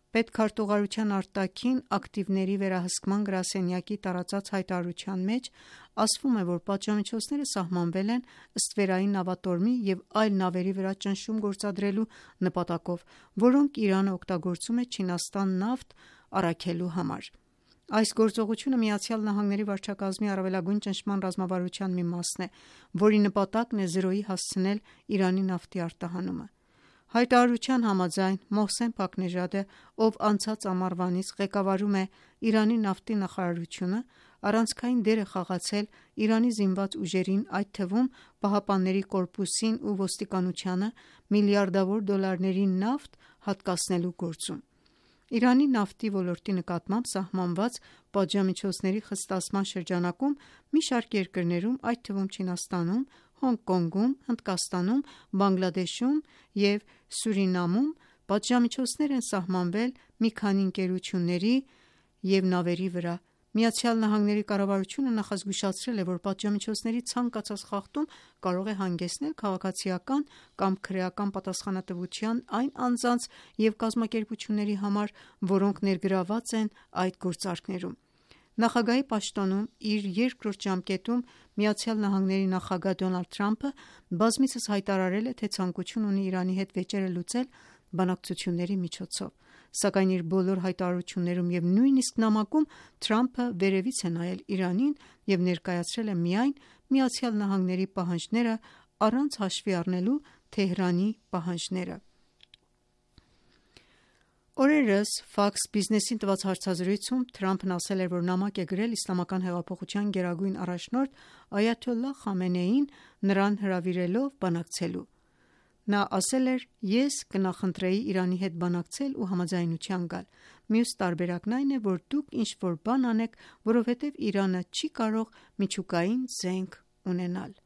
Պետքարտուղարության արտաքին ակտիվների վերահսկման գրասենյակի տարածած հայտարարության մեջ ասվում է, որ պատժամիջոցները սահմանվել են ստվերային նավատորմի և այլ նավերի վրա ճնշում գործադրելու նպատակով, որոնք Իրանը օգտագործում է Չինաստան նավթ առաքելու համար։ Այս գործողությունը Միացյալ Նահանգների վարչակազմի առավելագույն ճնշման ռազմավարության մի մասն է, որի նպատակն է զրոյի հասցնել Իրանի նավթի արտահանումը։ Հայտարարության համաձայն Մոհսեն Փաքնեժադը, ով անցած ամառվանից ղեկավարում է Իրանի նավթի նախարարությունը, առանցքային դեր է խաղացել Իրանի զինված ուժերին, այդ թվում ԻՀՊԿ-ին ու ոստիկանությանը միլիարդավոր դոլարների նավթ հատկացնելու գործում։ Իրանի նավթի ոլորտի նկատմամբ սահմանված պատժամիջոցների խստացման շրջանակում մի շարք երկրներում, այդ թվում Չինաստանում, Հոնկոնգում, Հնդկաստանում, Բանգլադեշում և Սուրինամում պատժամիջոցներ են սահմանվել մի քանի ընկերությունների և նավերի վրա։ Միացյալ Նահանգների կառավարությունը նախազգուշացրել է, որ պատժամիջոցների ցանկացած խախտում կարող է հանգեցնել քաղաքացիական կամ քրեական պատասխանատվության այն անձանց և կազմակերպությունների համար, որոնք ներգրավված են այդ գործարքներում։ Նախագահի պաշտոնում իր երկրորդ ժամկետում Միացյալ Նահանգների նախագահ Դոնալդ Թրամփը բազմիցս հայտարարել է, թե ցանկություն ունի Իրանի հետ վեճերը լուծել բանակցությունների միջոցով, սակայն իր բոլոր հայտարարություններում և նույնիսկ նամակում Թրամփը վերևից է նայել Իրանին և ներկայացրել է միայն Միացյալ Նահանգների պահանջները առանց հաշվի առնելու Թեհրանի պահանջները։ Օրերս Fox Business-ին տված հարցազրույցում Թրամփն ասել էր, որ նամակ է գրել Իսլամական հեղափոխության գերագույն առաջնորդ Այաթոլլահ Խամենեիին նրան հրավիրելով բանակցելու։ Նա ասել էր. «Ես կնախընտրեի Իրանի հետ բանակցել ու համաձայնության գալ։ Մյուս տարբերակն այն է, որ դուք ինչ-որ բան անեք, որովհետև Իրանը չի կարող միջուկային զենք ունենալ»։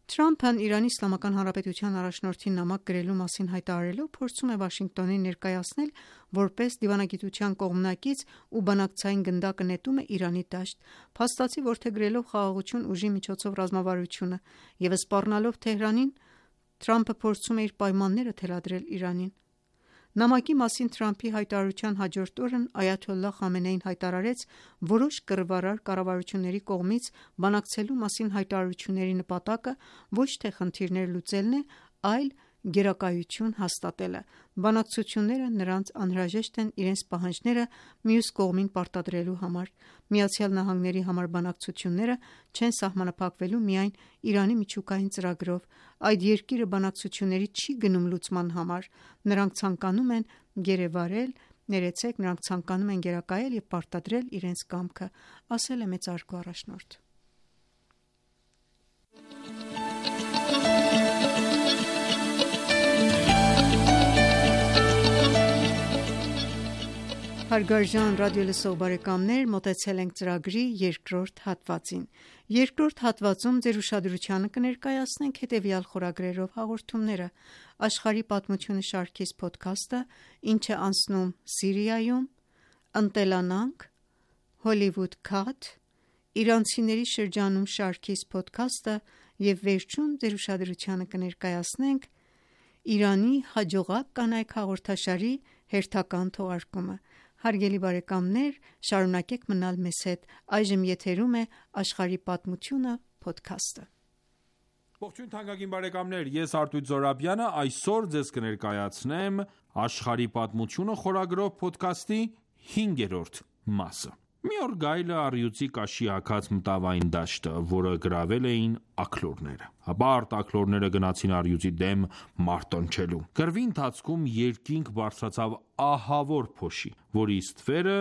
Թրամփն Իրանի Իսլամական Հանրապետության առաջնորդին նամակ գրելու մասին հայտարարելով փորձում է Վաշինգտոնին ներկայացնել որպես դիվանագիտության կողմնակից ու բանակցային գնդակը նետում է Իրանի դաշտ, փաստացի որդեգրելով խաղաղություն ուժի միջոցով ռազմավարությունը և սպառնալով Թեհրանին, Թրամփը փորձում է իր պայմանները թելադրել Իրանին։ Նամակի մասին Թրամփի հայտարարության հաջորդ օրն Այաթոլլահ Խամենեին հայտարարեց որոշ կռվարար կառավարությունների կողմից բանակցելու մասին հայտարարությունների նպատակը ոչ թե խնդիրներ լուծելն է, այլ գերակայություն հաստատելը։ Բանակցությունները նրանց անհրաժեշտ են իրենց պահանջները մյուս կողմին պարտադրելու համար։ Միացյալ Նահանգների համար բանակցությունները չեն սահմանափակվելու միայն Իրանի միջուկային ծրագրով։ Այդ երկիրը բանակցությունների չի գնում լուծման համար։ Նրանք ցանկանում են գերեվարել, ներեցեք, նրանք ցանկանում են գերակայել և պարտադրել իրենց կամքը, ասել է մեծարգո առաջնորդ։ Հարգարժան ռադիոլսող բարեկամներ, մոտեցել ենք ծրագրի երկրորդ հատվածին։ Երկրորդ հատվածում ձեր ուշադրությանը կներկայացնենք հետևյալ խորագրերով հաղորդումները. Աշխարհի պատմությունը շարքից փոդքասթը, ինչ է անցնում Սիրիայում, Ընտելանանք, Hollywood Cut, Իրանցիների շրջանում շարքից փոդքասթը և վերջում ձեր ուշադրությանը կներկայացնենք Իրանի հաջողակ կանայք հաղորդաշարի հերթական թողարկումը։ Հարգելի բարեկամներ, շարունակեք մնալ մեզ հետ։ Այժմ եթերում է Աշխարհի պատմությունը փոդքասթը։
Ողջույն թանկագին բարեկամներ, ես Արտույտ Զորաբյանը այսօր ձեզ կներկայացնեմ «Աշխարհի պատմությունը» խորագրով փոդքասթի հինգերորդ մասը։ Մի օր գայլը առյուծի կաշի հագած մտավ այն դաշտը, որը գրավել էին աքլորները։ Հպարտ աքլորները գնացին առյուծի դեմ մարտնչելու։ Կռվի ընթացքում երկինք բարձրացավ ահավոր փոշի, որի ստվերը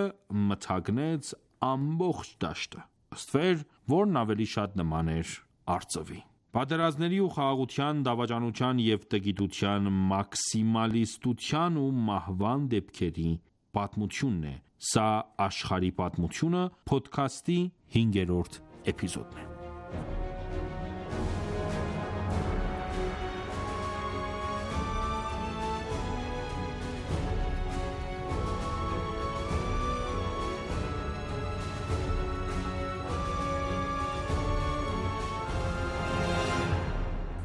մթագնեց ամբողջ դաշտը, ստվեր, որն ավելի շատ նման էր արծվի։ Պատերազմների ու խաղաղության, դավաճանության և տգիտության մաքսիմալիստության ու մահվան դեպքերի պատմությունն է։ Սա «Աշխարհի պատմությունը» փոդքասթի հինգերորդ էպիզոդն է։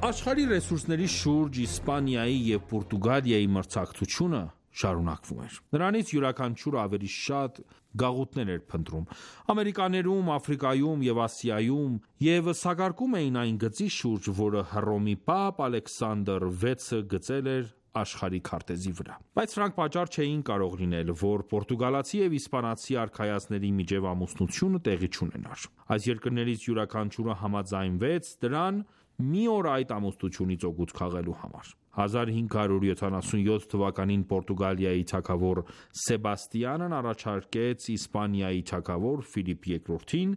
Աշխարհի ռեսուրսների շուրջ Իսպանիայի և Պորտուգալիայի մրցակցությունը շարունակվում էր։ Նրանից յուրաքանչյուրը ավելի շատ գաղութներ էր փնտրում։ Ամերիկաներում, Աֆրիկայում և Ասիայում և սակարկում էին այն գծի շուրջ, որը Հռոմի պապ Ալեքսանդր վեցը գծել էր աշխարհի քարտեզի վրա։ Բայց սրանք պատճառ չէին կարող լինել, որ պորտուգալացի և իսպանացի արքայազնների միջև ամուսնությունը տեղի չունենար։ Այս երկրներից յուրաքանչյուրը համաձայնվեց դրան մի օր այդ ամուսնությունից օգուտ քաղելու համար։ հազար հինգ հարյուր յոթանասունյոթ թվականին Պորտուգալիայի թագավոր Սեբաստիանն առաջարկեց Իսպանիայի թագավոր Ֆիլիպ երկրորդին,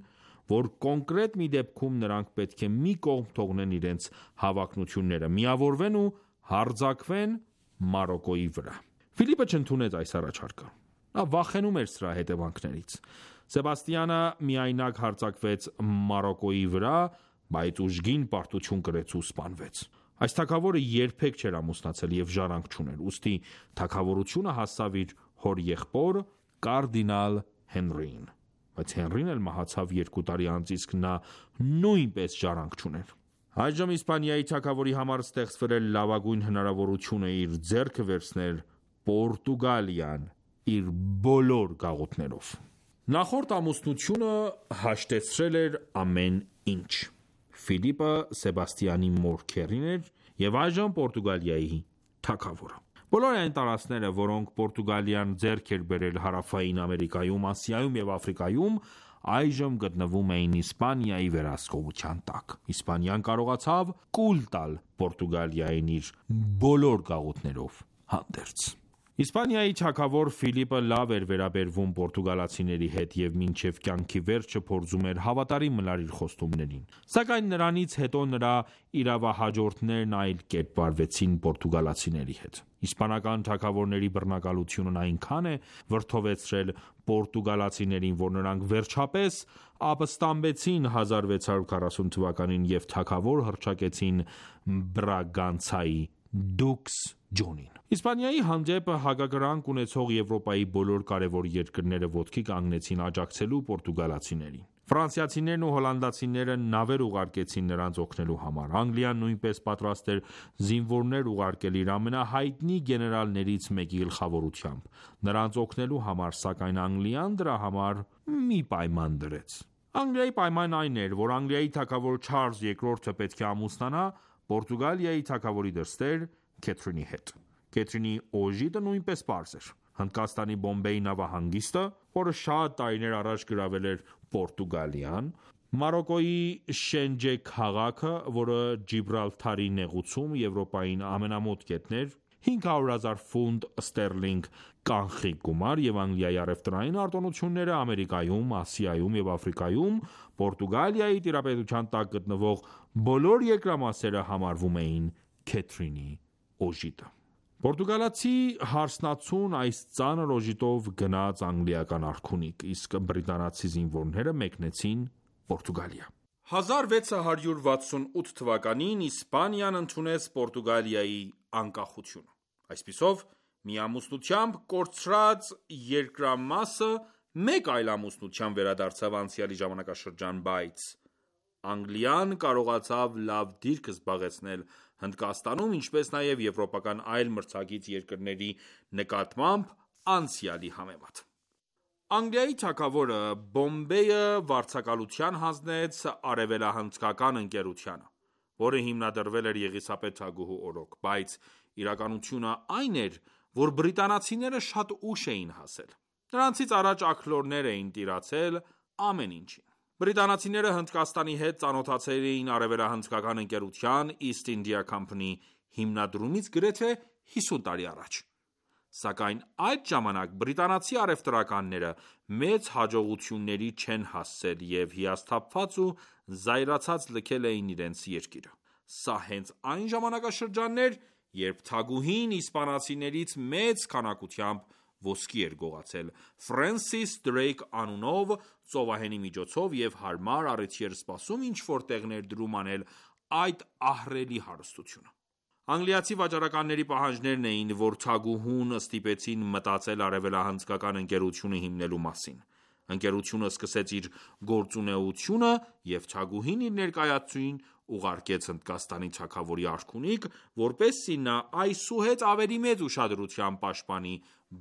որ կոնկրետ մի դեպքում նրանք պետք է մի կողմ թողնեն իրենց հավակնությունները, միավորվեն ու հարձակվեն Մարոկկոյի վրա։ Ֆիլիպը չընդունեց այս առաջարկը։ Նա վախենում էր սրա հետևանքներից։ Սեբաստիանը միայնակ հարձակվեց Մարոկկոյի վրա, բայց ուժգին պարտություն կրեց ու սպանվեց։ Այս թագավորը երբեք չէր ամուսնացել և ժառանգ չուներ, ուստի թագավորությունը հասավ իր հորեղբոր կարդինալ Հենրիին, բայց Հենրին էլ մահացավ երկու տարի անց, իսկ նա նույնպես ժառանգ չուներ։ Այժմ Իսպանիայի թագավորի համար ստեղծվել էր լավագույն հնարավորությունը իր ձեռքը վերցնել Պորտուգալիան իր բոլոր գաղութներով։ Նախորդ ամուսնությունը հաշտեցրել էր ամեն ինչ։ Ֆիլիպը Սեբաստիանի մոր քեռին էր և այժմ Պորտուգալիայի թագավորը։ Բոլոր այն տարածքները, որոնք Պորտուգալիան ձեռք էր բերել Հարավային Ամերիկայում, Ասիայում և Աֆրիկայում, այժմ գտնվում էին Իսպանիայի վերահսկողության տակ։ Իսպանիան կարողացավ կուլ տալ Պորտուգալիային իր բոլոր գաղութներով հանդերձ։ Իսպանիայի թագավոր Ֆիլիպը լավ էր վերաբերվում պորտուգալացիների հետ և մինչև կյանքի վերջը փորձում էր հավատարիմ մնալ իր խոստումներին։ Սակայն նրանից հետո նրա իրավահաջորդներն այլ կերպ վարվեցին պորտուգալացիների հետ։ Իսպանական թագավորների բռնակալությունն այնքան է վրդովեցրել պորտուգալացիներին, որ նրանք վերջապես ապստամբեցին հազար վեց հարյուր քառասուն թվականին և թագավոր հռչակեցին Բրագանցայի դուքս Ջոնին։ Իսպանիայի հանդեպ հակակրանք ունեցող Եվրոպայի բոլոր կարևոր երկրները ոտքի կանգնեցին աջակցելու պորտուգալացիներին։ Ֆրանսիացիներն ու հոլանդացիները նավեր ուղարկեցին նրանց օգնելու համար։ Անգլիան նույնպես պատրաստ էր զինվորներ ուղարկել իր ամենահայտնի գեներալներից մեկի գլխավորությամբ նրանց օգնելու համար, սակայն Անգլիան դրա համար մի պայման դրեց։ Անգլիայի պայմանն այն էր, որ Անգլիայի թագավոր Չարլզ երկրորդը պետք է ամուսնանա Պորտուգալիայի թագավորի դստեր Քեթրինի հետ։ Քեթրինի օժիտը նույնպես պարզ էր։ Հնդկաստանի Բոմբեյ նավահանգիստը, որը շատ տարիներ առաջ գրավել էր Պորտուգալիան, Մարոկկոյի Շենջե քաղաքը, որը Ջիբրալթարի նեղուցում Եվրոպային ամենամոտ կետն էր, հինգ հարյուր հազար ֆունտ ստերլինգ կանխիկ գումար և Անգլիայի առևտրային արտոնությունները Ամերիկայում, Ասիայում և Աֆրիկայում Պորտուգալիայի տիրապետության տակ գտնվող բոլոր երկրամասերը համարվում էին Քեթրինի օժիտը։ Պորտուգալացի հարսնացուն այս ծանր օժիտով գնաց անգլիական արքունիք, իսկ բրիտանացի զինվորները մեկնեցին Պորտուգալիա։ հազար վեց հարյուր վաթսունութ թվականին Իսպանիան ընդունեց Պորտուգալիայի անկախությունը։ Այսպիսով, միամուսնությամբ կորցրած երկրամասը մեկ այլ ամուսնությամբ վերադարձավ անցյալի ժամանակաշրջան, բայց Անգլիան կարողացավ լավ դիրք զբաղեցնել Հնդկաստանում, ինչպես նաև եվրոպական այլ մրցակից երկրների նկատմամբ անցյալի համեմատ։ Անգլիայի թագավորը Բոմբեյը վարձակալության հանձնեց արևելահնդկական ընկերությանը, որը հիմնադրվել էր Եղիսաբեթ թագուհու օրոք, բայց իրականությունը այն էր, որ բրիտանացիները շատ ուշ էին հասել։ Նրանցից առաջ աքլորներ էին տիրացել ամեն ինչին։ Բրիտանացիները Հնդկաստանի հետ ծանոթացել էին արևելահնդկական ընկերության East India Company հիմնադրումից գրեթե հիսուն տարի առաջ։ Սակայն այդ ժամանակ բրիտանացի առևտրականները մեծ հաջողությունների չեն հասել և հիասթափված ու զայրացած լքել էին իրենց երկիրը։ Սա հենց այն ժամանակաշրջանն էր, երբ թագուհին իսպանացիներից մեծ քանակությամբ ոսկի էր գողացել Ֆրենսիս Դրեյք անունով ծովահենի միջոցով և հարմար առիթի էր սպասում ինչ-որ տեղ ներդրում անել այդ ահռելի հարստությունը։ Անգլիացի վաճառականների պահանջներն էին, որ թագուհուն ստիպեցին մտածել արևելահնդկական ընկերությունը հիմնելու մասին։ Ընկերությունը սկսեց իր գործունեությունը, և թագուհին իր ներկայացուցիչին ուղարկեց Հնդկաստանի թագավորի արքունիք, որպեսզի նա այսուհետ ավելի մեծ ուշադրությամբ պաշտպանի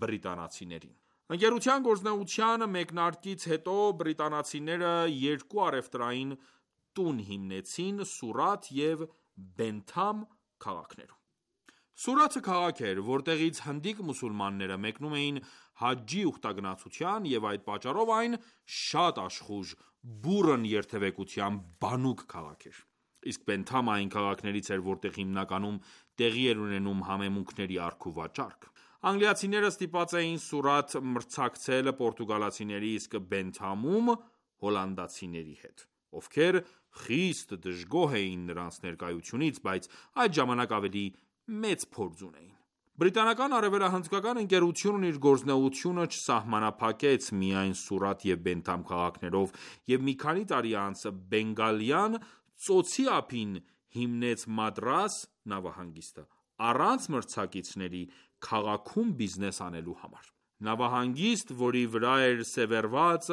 բրիտանացիներին։ Ընկերության գործունեության մեկնարկից հետո բրիտանացիները երկու առևտրային տուն հիմնեցին Սուրաթ և Բենթամ քաղաքներում։ Սուրաթը քաղաք էր, որտեղից հնդիկ մուսուլմանները մեկնում էին հաջջի ուխտագնացության և այդ պատճառով այն շատ աշխույժ, բուռն երթևեկությամբ բանուկ քաղաք էր։ Իսկ Բենթամը այն քաղաքներից էր, որտեղ հիմնականում տեղի էր ունենում համեմունքների առք ու վաճառք։ Անգլիացիները ստիպված էին Սուրաթ մրցակցել պորտուգալացիների, իսկ Բենթամում հոլանդացիների հետ, ովքեր խիստ դժգոհ էին նրանց ներկայությունից, բայց այդ ժամանակ ավելի մեծ փորձ ունեին։ Բրիտանական արևելահնդկական ընկերությունն իր գործունեությունը չսահմանափակեց միայն Սուրաթ և Բենթամ քաղաքներով և մի քանի տարի անց Բենգալյան ծոցի ափին հիմնեց Մադրաս նավահանգիստը՝ առանց մրցակիցների քաղաքում բիզնես անելու համար։ Նավահանգիստ, որի վրա էր սևեռված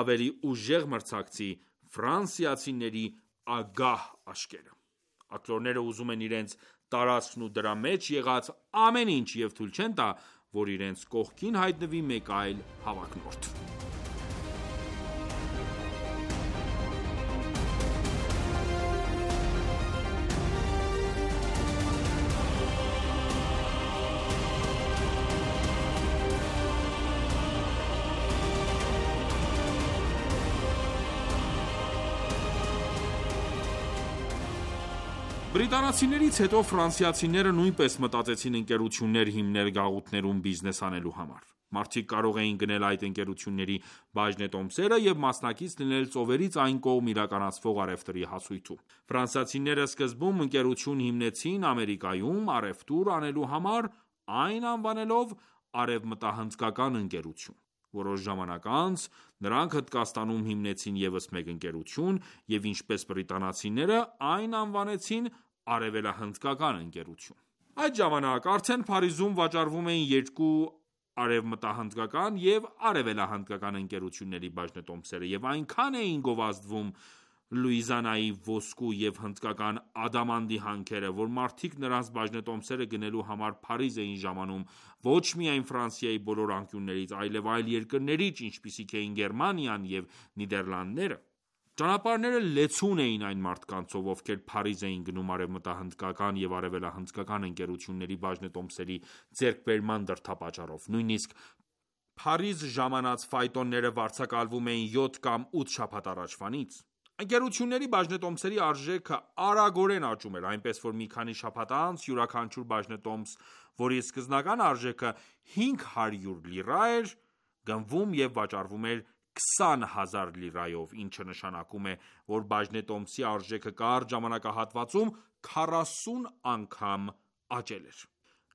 ավելի ուժեղ մրցակցի՝ ֆրանսիացիների ագահ աշկերը։ Աքլորները ուզում են իրենց տարածքն ու դրա մեջ եղած ամեն ինչ և թույլ չեն տա, որ իրենց կողքին հայտնվի մեկ այլ հավակնորդ։ Բրիտանացիներից հետո ֆրանսիացիները նույնպես մտածեցին ընկերություններ հիմնել գաղութներում բիզնես անելու համար։ Մարդիկ կարող էին գնել այդ ընկերությունների բաժնետոմսերը և մասնակից լինել ծովերից այն կողմ իրականացվող առևտրի հասույթում։ Ֆրանսիացիները սկզբում ընկերություն հիմնեցին Ամերիկայում առևտուր անելու համար, այն անվանելով Արևմտահնդկական ընկերություն։ Որոշ ժամանակ անց նրանք Հնդկաստանում հիմնեցին ևս մեկ ընկերություն և ինչպես բրիտանացիները այն անվանեցին Արևելահնդկական ընկերություն։ Այդ ժամանակ արդեն Փարիզում վաճառվում էին երկու արևմտահնդկական և արևելահնդկական ընկերությունների բաժնետոմսերը և այնքան էին գովազդվում Լուիզիանայի ոսկու և հնդկական ադամանդի հանքերը, որ մարդիկ նրանց բաժնետոմսերը գնելու համար Փարիզ էին ժամանում ոչ միայն Ֆրանսիայի բոլոր անկյուններից, այլև այլ երկրներից, ինչպիսիք էին Գերմանիան և Նիդերլանդները։ Ճանապարհները լեցուն էին այն մարդկանցով, ովքեր Փարիզ էին գնում արևմտահնդկական և արևելահնդկական ընկերությունների բաժնետոմսերի ձեռքբերման դրդապատճառով։ Նույնիսկ Փարիզ ժամանած ֆայտոնները վարձակալվում էին յոթ կամ ութ շաբաթ առաջվանից։ Ընկերությունների բաժնետոմսերի արժեքը արագորեն աճում էր, այնպես որ մի քանի շաբաթ անց յուրաքանչյուր բաժնետոմս, որի սկզբնական արժեքը հինգ հարյուր լիրա էր, գնվում և վաճառվում էր քսան հազար լիրայով, ինչը նշանակում է, որ բաժնետոմսի արժեքը կարճ ժամանակահատվածում քառասուն անգամ աճել էր։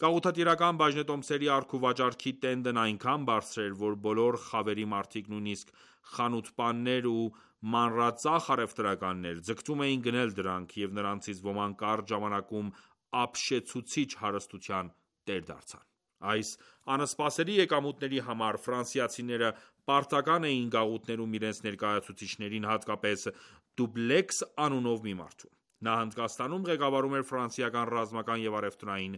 Գաղութատիրական բաժնետոմսերի առք ու վաճառքի տենդն այնքան բարձր էր, որ բոլոր խավերի մարդիկ, նույնիսկ խանութպաններ ու մանրածախ առևտրականներ, ձգտում էին գնել դրանք, և նրանցից ոմանք կարճ ժամանակում ապշեցուցիչ հարստության տեր դարձան։ Այս անսպասելի եկամուտների համար ֆրանսիացիները պարտական էին գաղութներում իրենց ներկայացուցիչներին, հատկապես Դուբլեքս անունով մի մարդու։ Նա Հնդկաստանում ղեկավարում էր ֆրանսիական ռազմական և առևտրային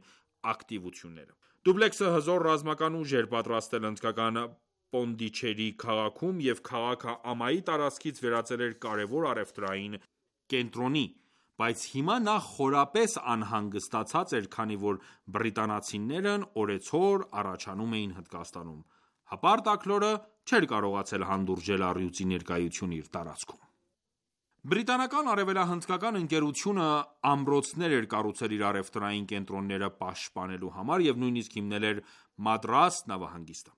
ակտիվությունները։ Դուբլեքսը հզոր ռազմական ուժ էր պատրաստել հնդկական Պոնդիչերի քաղաքում և քաղաքը ամայի տարածքից վերածել էր կարևոր առևտրային կենտրոնի։ Բայց հիմա նա խորապես անհանգստացած էր, քանի որ բրիտանացիներն օրեցօր առաջանում էին Հնդկաստանում։ Հպարտ աքլորը չէր կարողացել հանդուրժել առյուծի ներկայությունը իր տարածքում։ Բրիտանական արևելահնդկական ընկերությունը ամրոցներ էր կառուցել իր առևտրային կենտրոնները պաշտպանելու համար և նույնիսկ հիմնել էր Մադրաս նավահանգիստը։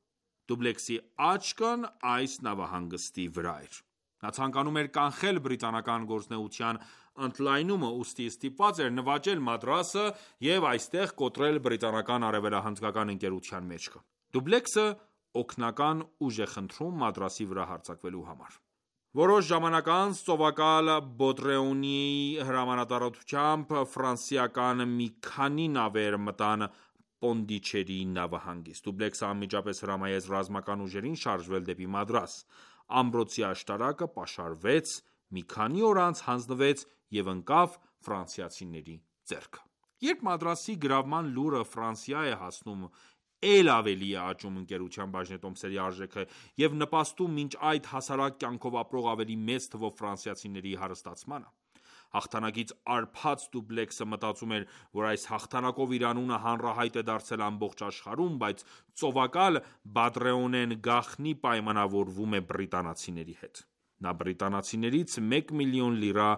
Դուբլեքսի աչքն այս նավահանգստի վրա էր։ Նա ցանկանում էր կանխել բրիտանական գործունեության ընդլայնումը, ուստի ստիպված էր նվաճել Մադրասը և այստեղ կոտրել բրիտանական արևելահնդկական ընկերության մեջքը։ Դուբլեքսը օգնական ուժ է խնդրում Մադրասի վրա հարձակվելու համար։ Որոշ ժամանակ անց սովակալ Բոդրեունիի հրամանատարությամբ ֆրանսիական մի քանի նավեր մտան Պոնդիչերի նավահանգիստ։ Դուբլեքսը անմիջապես հրամայեց ռազմական ուժերին շարժվել դեպի Մադրաս։ Ամրոցի աշտարակը պաշարվեց, մի քանի օր անց հանձնվեց և ընկավ ֆրանսիացիների ձեռքը։ Երբ Մադրասի գրավման լուրը Ֆրանսիա է հասնում, էլ ավելի է աճում ընկերության բաժնետոմսերի արժեքը և նպաստում մինչ այդ հասարակ կյանքով ապրող ավելի մեծ թվով ֆրանսիացիների հարստացմանը։ Հաղթանակից արբած Դուբլեքսը մտածում էր, որ այս հաղթանակով իր անունը հանրահայտ է դարձել ամբողջ աշխարհում, բայց ծովակալ Բադրեոնեն գաղտնի պայմանավորվում է բրիտանացիների հետ։ Նա բրիտանացիներից մեկ միլիոն լիրա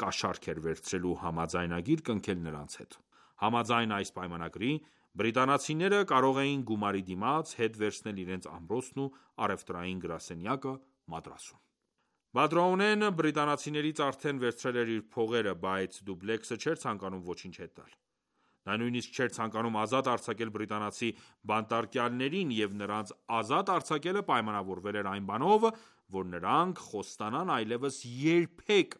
կաշառք էր վերցրելու համաձայնագիր կնքել նրանց հետ։ Համաձայն այս պայմանագրի, բրիտանացիները կարող էին գումարի դիմաց հետ վերցնել իրենց ամրոցն ու առևտրային գրասենյակը Մադրասում։ Բադրեոնեն բրիտանացիներից արդեն վերցրել էր իր փողերը, բայց Դուբլեքսը չէր ցանկանում ոչինչ հետ տալ։ Նա նույնիսկ չէր ցանկանում ազատ արձակել բրիտանացի բանտարկյալներին, և նրանց ազատ արձակելը պայմանավորվել էր այն բանով, որ նրանք խոստանան այլևս երբեք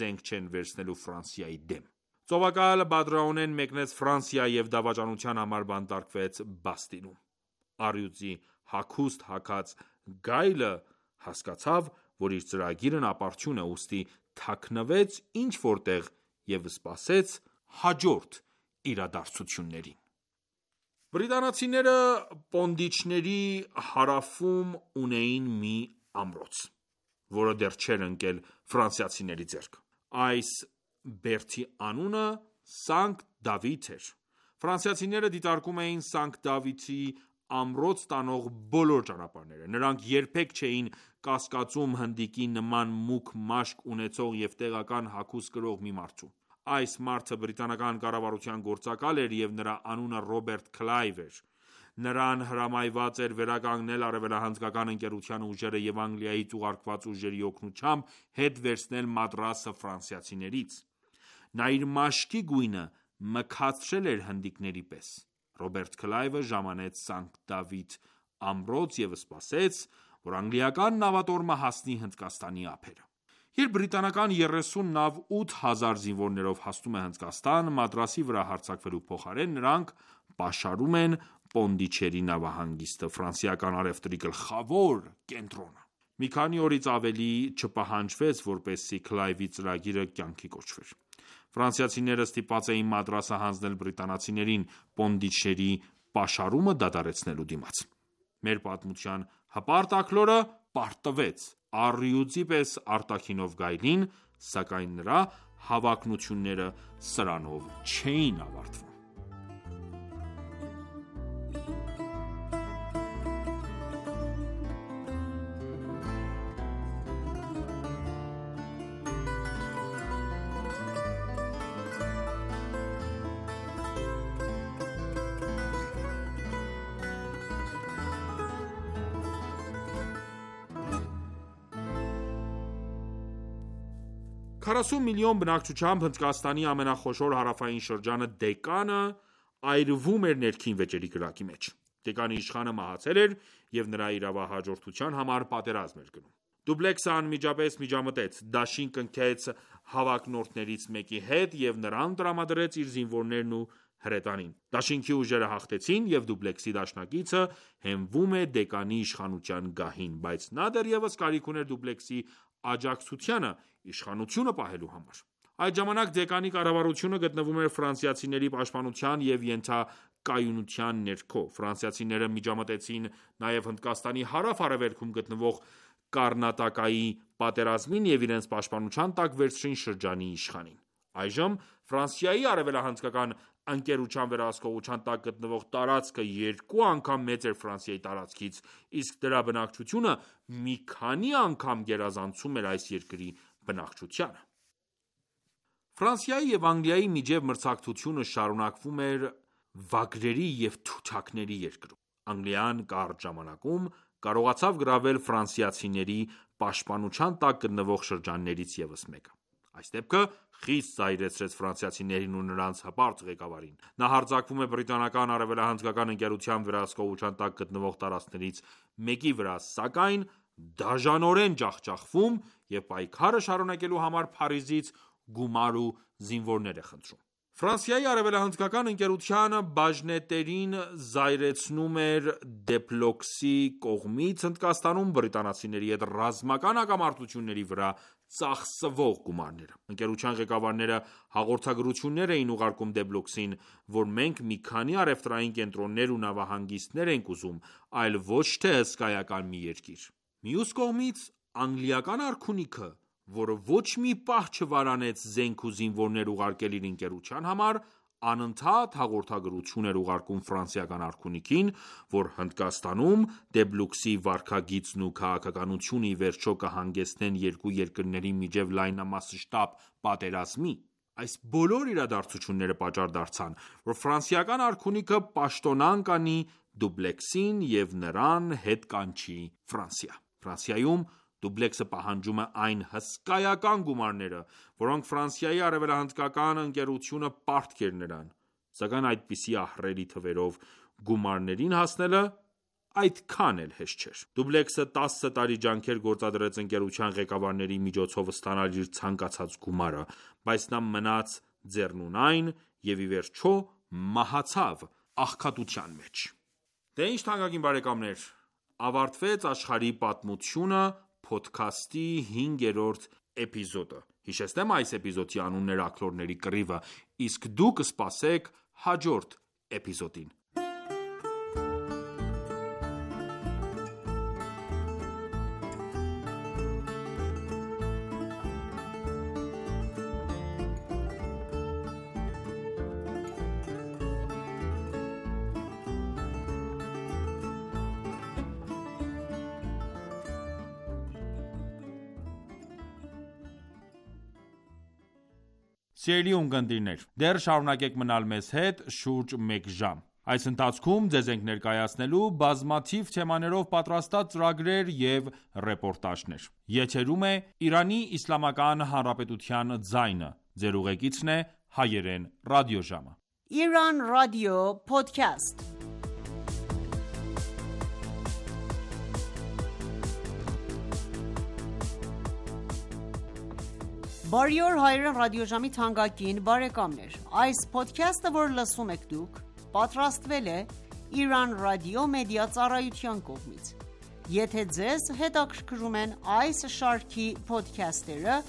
զենք չեն վերցնելու Ֆրանսիայի դեմ։ Ծովակալ Բադրեոնեն մեկնեց Ֆրանսիա և դավաճանության համար բանտարկվեց Բաստիլում։ Առյուծի հագուստ հագած գայլը հասկացավ, որ իր ծրագիրն ապարդյուն է, ուստի թաքնվեց ինչ-որ տեղ և սպասեց հաջորդ իրադարձություններին։ Բրիտանացիները Պոնդիչների հարավում ունեին մի ամրոց, որը դեռ չէր ընկել ֆրանսիացիների ձեռքը։ Այս բերդի անունը Սանկտ Դավիթ էր։ Ֆրանսիացիները դիտարկում էին Սանկտ Դավիթի ամրոց տանող բոլոր ճանապարհները։ Նրանք երբեք չէին կասկածում հնդիկի նման մուգ մաշկ ունեցող և տեղական հագուստ կրող մի մարդու։ Այս մարդը բրիտանական կառավարության գործակալ էր և նրա անունը Ռոբերտ Քլայվ էր։ Նրան հրամայված էր վերականգնել արևելահնդկական ընկերության ուժերը և Անգլիայից ուղարկված ուժերի օգնությամբ հետ վերցնել Մադրասը ֆրանսիացիներից։ Նա իր մաշկի գույնը մքացրել էր հնդիկների պես։ Ռոբերտ Քլայվը ժամանեց Սանկտ Դավիթ ամրոց և սպասեց, որ անգլիական նավատորմը հասնի Հնդկաստանի ափերը։ Երբ բրիտանական երեսուն նավ ութ հազար զինվորներով հասնում է Հնդկաստան, Մադրասի վրա հարձակվելու փոխարեն, նրանք պաշարում են Պոնդիչերի նավահանգիստը, ֆրանսիական առևտրի գլխավոր կենտրոնը։ Մի քանի օրից ավելի չպահանջվեց, որպեսզի Քլայվի ծրագիրը կյանքի կոչվեր։ Ֆրանսիացիները ստիպված էին Մադրասը հանձնել բրիտանացիներին Պոնդիչերի պաշարումը դադարեցնելու դիմաց։ Մեր պատմության հպարտ աքլորը պարտվեց առյուծի պես արտաքինով գայլին, սակայն նրա հավակնությունները սրանով չէին ավարտվում։ քառասուն միլիոն բնակչությամբ Հնդկաստանի ամենախոշոր հարավային շրջանը Դեկանը այրվում էր ներքին վեճերի կրակի մեջ։ Դեկանի իշխանը մահացել էր և նրա իրավահաջորդության համար պատերազմ էր գնում։ Դուբլեքսը անմիջապես միջամտեց, դաշին կնքեց հավակնորդներից մեկի հետ և նրան տրամադրեց իր զինվորներն ու հրետանին։ Դաշինքի ուժերը հաղթեցին և Դուբլեքսի դաշնակիցը հենվում է Դեկանի իշխանության գահին, բայց նա դեռևս կարիք ուներ Դուբլեքսի աջակցությանը իշխանությունը պահելու համար։ Այդ ժամանակ Դեկանի կառավարությունը գտնվում էր ֆրանսիացիների պաշտպանության և ենթակայունության ներքո։ Ֆրանսիացիները միջամտեցին նաև Հնդկաստանի հարավ-արևելքում գտնվող Կառնատակայի պատերազմին և իրենց պաշտպանության տակ վերցրին շրջանի իշխանին։ Այժմ Ֆրանսիայի արևելահնդկական ընկերության վերահսկողության տակ գտնվող տարածքը երկու անգամ մեծ էր Ֆրանսիայի տարածքից, իսկ դրա բնակչությունը մի քանի անգամ գերազանցում էր այս երկրի բնակչությանը։ Ֆրանսիայի և Անգլիայի միջև մրցակցությունը շարունակվում էր վագրերի և թութակների երկրում։ Անգլիան կարճ ժամանակում կարողացավ գրավել ֆրանսիացիների պաշտպանության տակ գտնվող շրջաններից ևս մեկը։ Այս դեպքը խիստ զայրացրեց ֆրանսիացիներին ու նրանց հպարտ ղեկավարին։ Նա հարձակվում է բրիտանական արևելահնդկական ընկերության վերահսկողության տակ գտնվող տարածքներից մեկի վրա, սակայն դաժանորեն ջախջախվում և պայքարը շարունակելու համար Փարիզից գումար ու զինվորներ է խնդրում։ Ֆրանսիայի արևելահնդկական ընկերության բաժնետերին զայրացնում էր Դեփլոքսի կողմից Հնդկաստանում բրիտանացիների հետ ռազմական հակամարտությունների վրա ծախսվող գումարները։ Ընկերության ղեկավարները հաղորդագրություններ էին ուղարկում Դեփլոքսին, որ մենք մի քանի առևտրային կենտրոններ ու նավահանգիստներ ենք ուզում, այլ ոչ թե հսկայական մի երկիր։ Մյուս կողմից անգլիական արքունիքը, որը ոչ մի պահ չվարանեց զենք ու զինվորներ ուղարկել իր ընկերության համար, անընդհատ հաղորդագրություն էր ուղարկում ֆրանսիական արքունիքին, որ Հնդկաստանում Դեփլոքսի վարքագիծն ու քաղաքականությունը ի վերջո կհանգեցնեն երկու երկրների միջև լայնամասշտաբ պատերազմի։ Այս բոլոր իրադարձությունները պատճառ դարձան, որ ֆրանսիական արքունիքը պաշտոնանկ անի Դուբլեքսին և նրան հետ կանչի Ֆրանսիա։ Ֆրանսիայում Դուբլեքսը պահանջում է այն հսկայական գումարները, որոնք Ֆրանսիայի արևելահնդկական ընկերությունը պարտք էր նրան, սակայն այդպիսի ահռելի թվերով գումարներին հասնելը այդքան էլ հեշտ չէր։ Դուբլեքսը տասը տարի ջանքեր գործադրեց ընկերության ղեկավարների միջոցով ստանալ իր ցանկացած գումարը, բայց նա մնաց ձեռնունայն և ի վերջո մահացավ աղքատության մեջ։ Դե ինչ թանկագին բարեկամներ, ավարտվեց աշխարհի պատմությունը փոդքասթի հինգերորդ էպիզոդը։ Հիշեցնեմ այս էպիզոդի անունն էր Աքլորների կռիվը, իսկ դուք սպասեք հաջորդ էպիզոդին։ Սիրելի ունկնդիրներ, դեռ շարունակեք մնալ մեզ հետ շուրջ մեկ ժամ։ Այս ընթացքում ձեզ ենք ներկայացնելու բազմաթիվ թեմաներով պատրաստած ծրագրեր և ռեպորտաժներ։ Եթերում է Իրանի Իսլամական Հանրապետության ձայնը։ Ձեր ուղեկիցն է Հայերեն ռադիոժամը։
Iran Radio Podcast. Բարի օր Հայերեն ռադիոժամի թանկագին բարեկամներ։ Այս փոդքասթը, որ լսում եք դուք, պատրաստվել է Iran Radio Media ծառայության կողմից։ Եթե ձեզ հետաքրքրում են այս շարքի փոդքասթերը,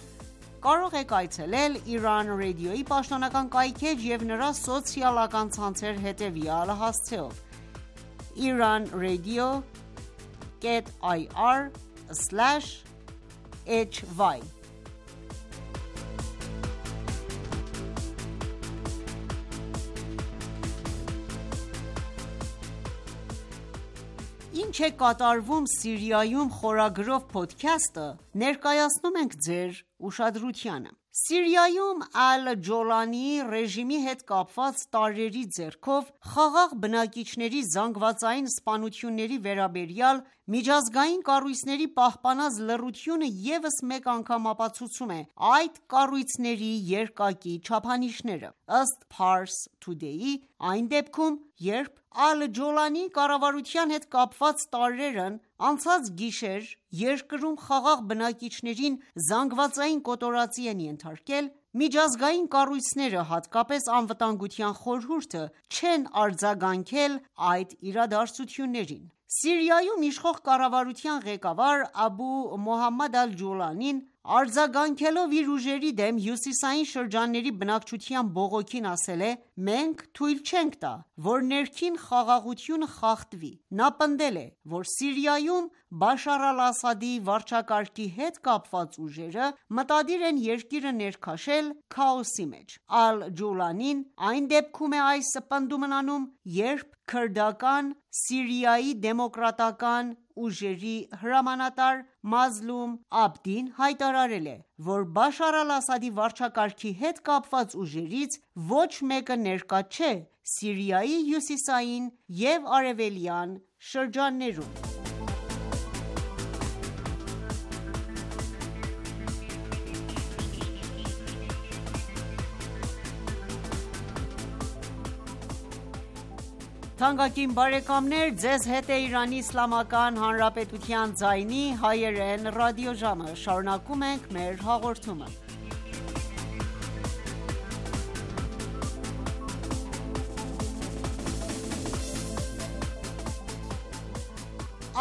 կարող եք այցելել Iran Radio-ի պաշտոնական կայքէջ եւ նրա սոցիալական ցանցեր հետեւյալ հասցեով՝ iranradio dot ir slash h y Ինչ է կատարվում Սիրիայում խորագրով փոդքասթը ներկայացնում ենք ձեր ուշադրությանը։ Սիրիայում Ալ-Ջոլանի ռեժիմի հետ կապված տարրերի ձեռքով խաղաղ բնակիչների զանգվածային սպանությունների վերաբերյալ միջազգային կառույցների պահպանած լռությունը ևս մեկ անգամ ապացուցում է այդ կառույցների երկակի չափանիշները։ Ըստ Pars Today-ի, այն դեպքում, երբ Ալ-Ջոլանի կառավարության հետ կապված տարրերն անցած գիշեր երկրում խաղաղ բնակիչներին զանգվածային կոտորածի են ենթարկել, միջազգային կառույցները, հատկապես Անվտանգության խորհուրդը, չեն արձագանքել այդ իրադարձություններին։ Սիրիայում իշխող կառավարության ղեկավար Աբու Մոհամմադ Ալ-Ջոլանին արձագանքելով իր ուժերի դեմ հյուսիսային շրջանների բնակչության բողոքին ասել է. «Մենք թույլ չենք տա, որ ներքին խաղաղությունը խախտվի»: Նա պնդել է, որ Սիրիայում Բաշար al-Ասադի վարչակարգի հետ կապված ուժերը մտադիր են երկիրը ներքաշել քաոսի մեջ: Ալ-Ջուլանին այն դեպքում է այս պնդումն անում, երբ քրդական Սիրիայի դեմոկրատական ուժերի հրամանատար Մազլում Աբդին հայտարարել է, որ Բաշար al-Ասադի վարչակարգի հետ կապված ուժերից ոչ մեկը ներկա չէ Սիրիայի հյուսիսային և արևելյան շրջաններում: Թանկագին բարեկամներ, ձեզ հետ է Իրանի Իսլամական Հանրապետության ձայնի հայերեն ռադիոժամը: Շարունակում ենք մեր հաղորդումը: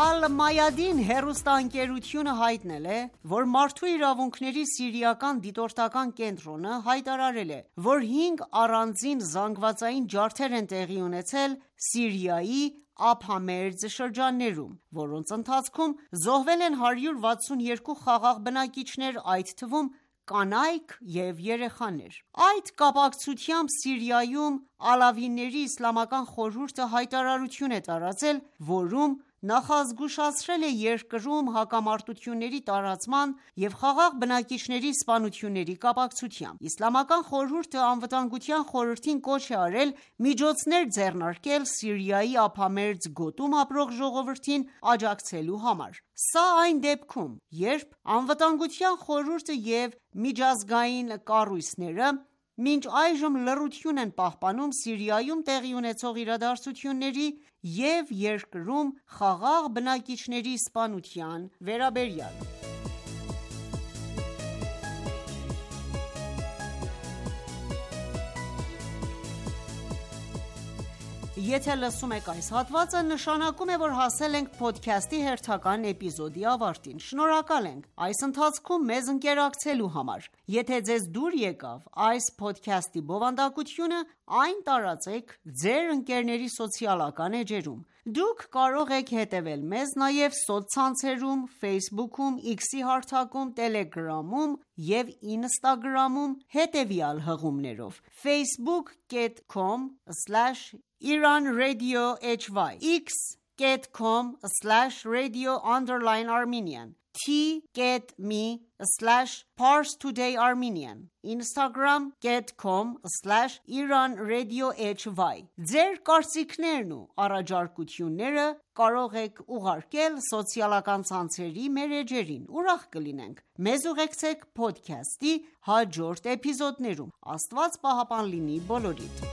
Ալ-Մայադին հեռուստաընկերությունը հայտնել է, որ Մարդու իրավունքների սիրիական դիտորդական կենտրոնը հայտարարել է, որ հինգ առանձին զանգվածային ջարդեր են տեղի ունեցել Սիրիայի ափամերձ շրջաններում, որոնց ընթացքում զոհվել են հարյուր վաթսուն երկու խաղաղ բնակիչներ, այդ թվում կանայք և երեխաներ: Այդ կապակցությամբ Սիրիայում Ալավիների իսլամական խորհուրդը հայտարարություն է տարածել, որում նախազգուշացրել է երկրում հակամարտությունների տարածման և խաղաղ բնակիչների սպանությունների կապակցությամբ: Իսլամական խորհուրդը Անվտանգության խորհրդին կոչ է արել միջոցներ ձեռնարկել Սիրիայի ափամերձ գոտում ապրող ժողովրդին աջակցելու համար: Սա այն դեպքում, երբ Անվտանգության խորհուրդը և միջազգային կառույցները մինչ այժմ լռություն են պահպանում Սիրիայում տեղի ունեցող իրադարձությունների և երկրում խաղաղ բնակիչների սպանության վերաբերյալ: Եթե լսում եք այս հատվածը, նշանակում է, որ հասել ենք փոդքասթի հերթական էպիզոդի ավարտին: Շնորհակալ ենք այս ընթացքում մեզ ընկերակցելու համար: Եթե ձեզ դուր եկավ այս փոդքասթի բովանդակությունը, այն տարածեք ձեր ընկերների սոցիալական էջերում: Դուք կարող եք հետևել մեզ նաև սոցցանցերում Facebook-ում, X-ի հարթակում, Telegram-ում և Instagram-ում հետևյալ հղումներով՝ facebook dot com slash Iran Radio hy x dot com slash radio underscore Armenian t.me slash pars today Armenian Instagram dot com slash Iran Radio hy Ձեր կարծիքներն ու առաջարկությունները կարող եք ուղարկել սոցիալական ցանցերի մեր էջերին: Ուրախ կլինենք: Մեզ ուղեկցեք փոդքասթի հաջորդ էպիզոդներում: Աստված պահապան լինի բոլորիդ: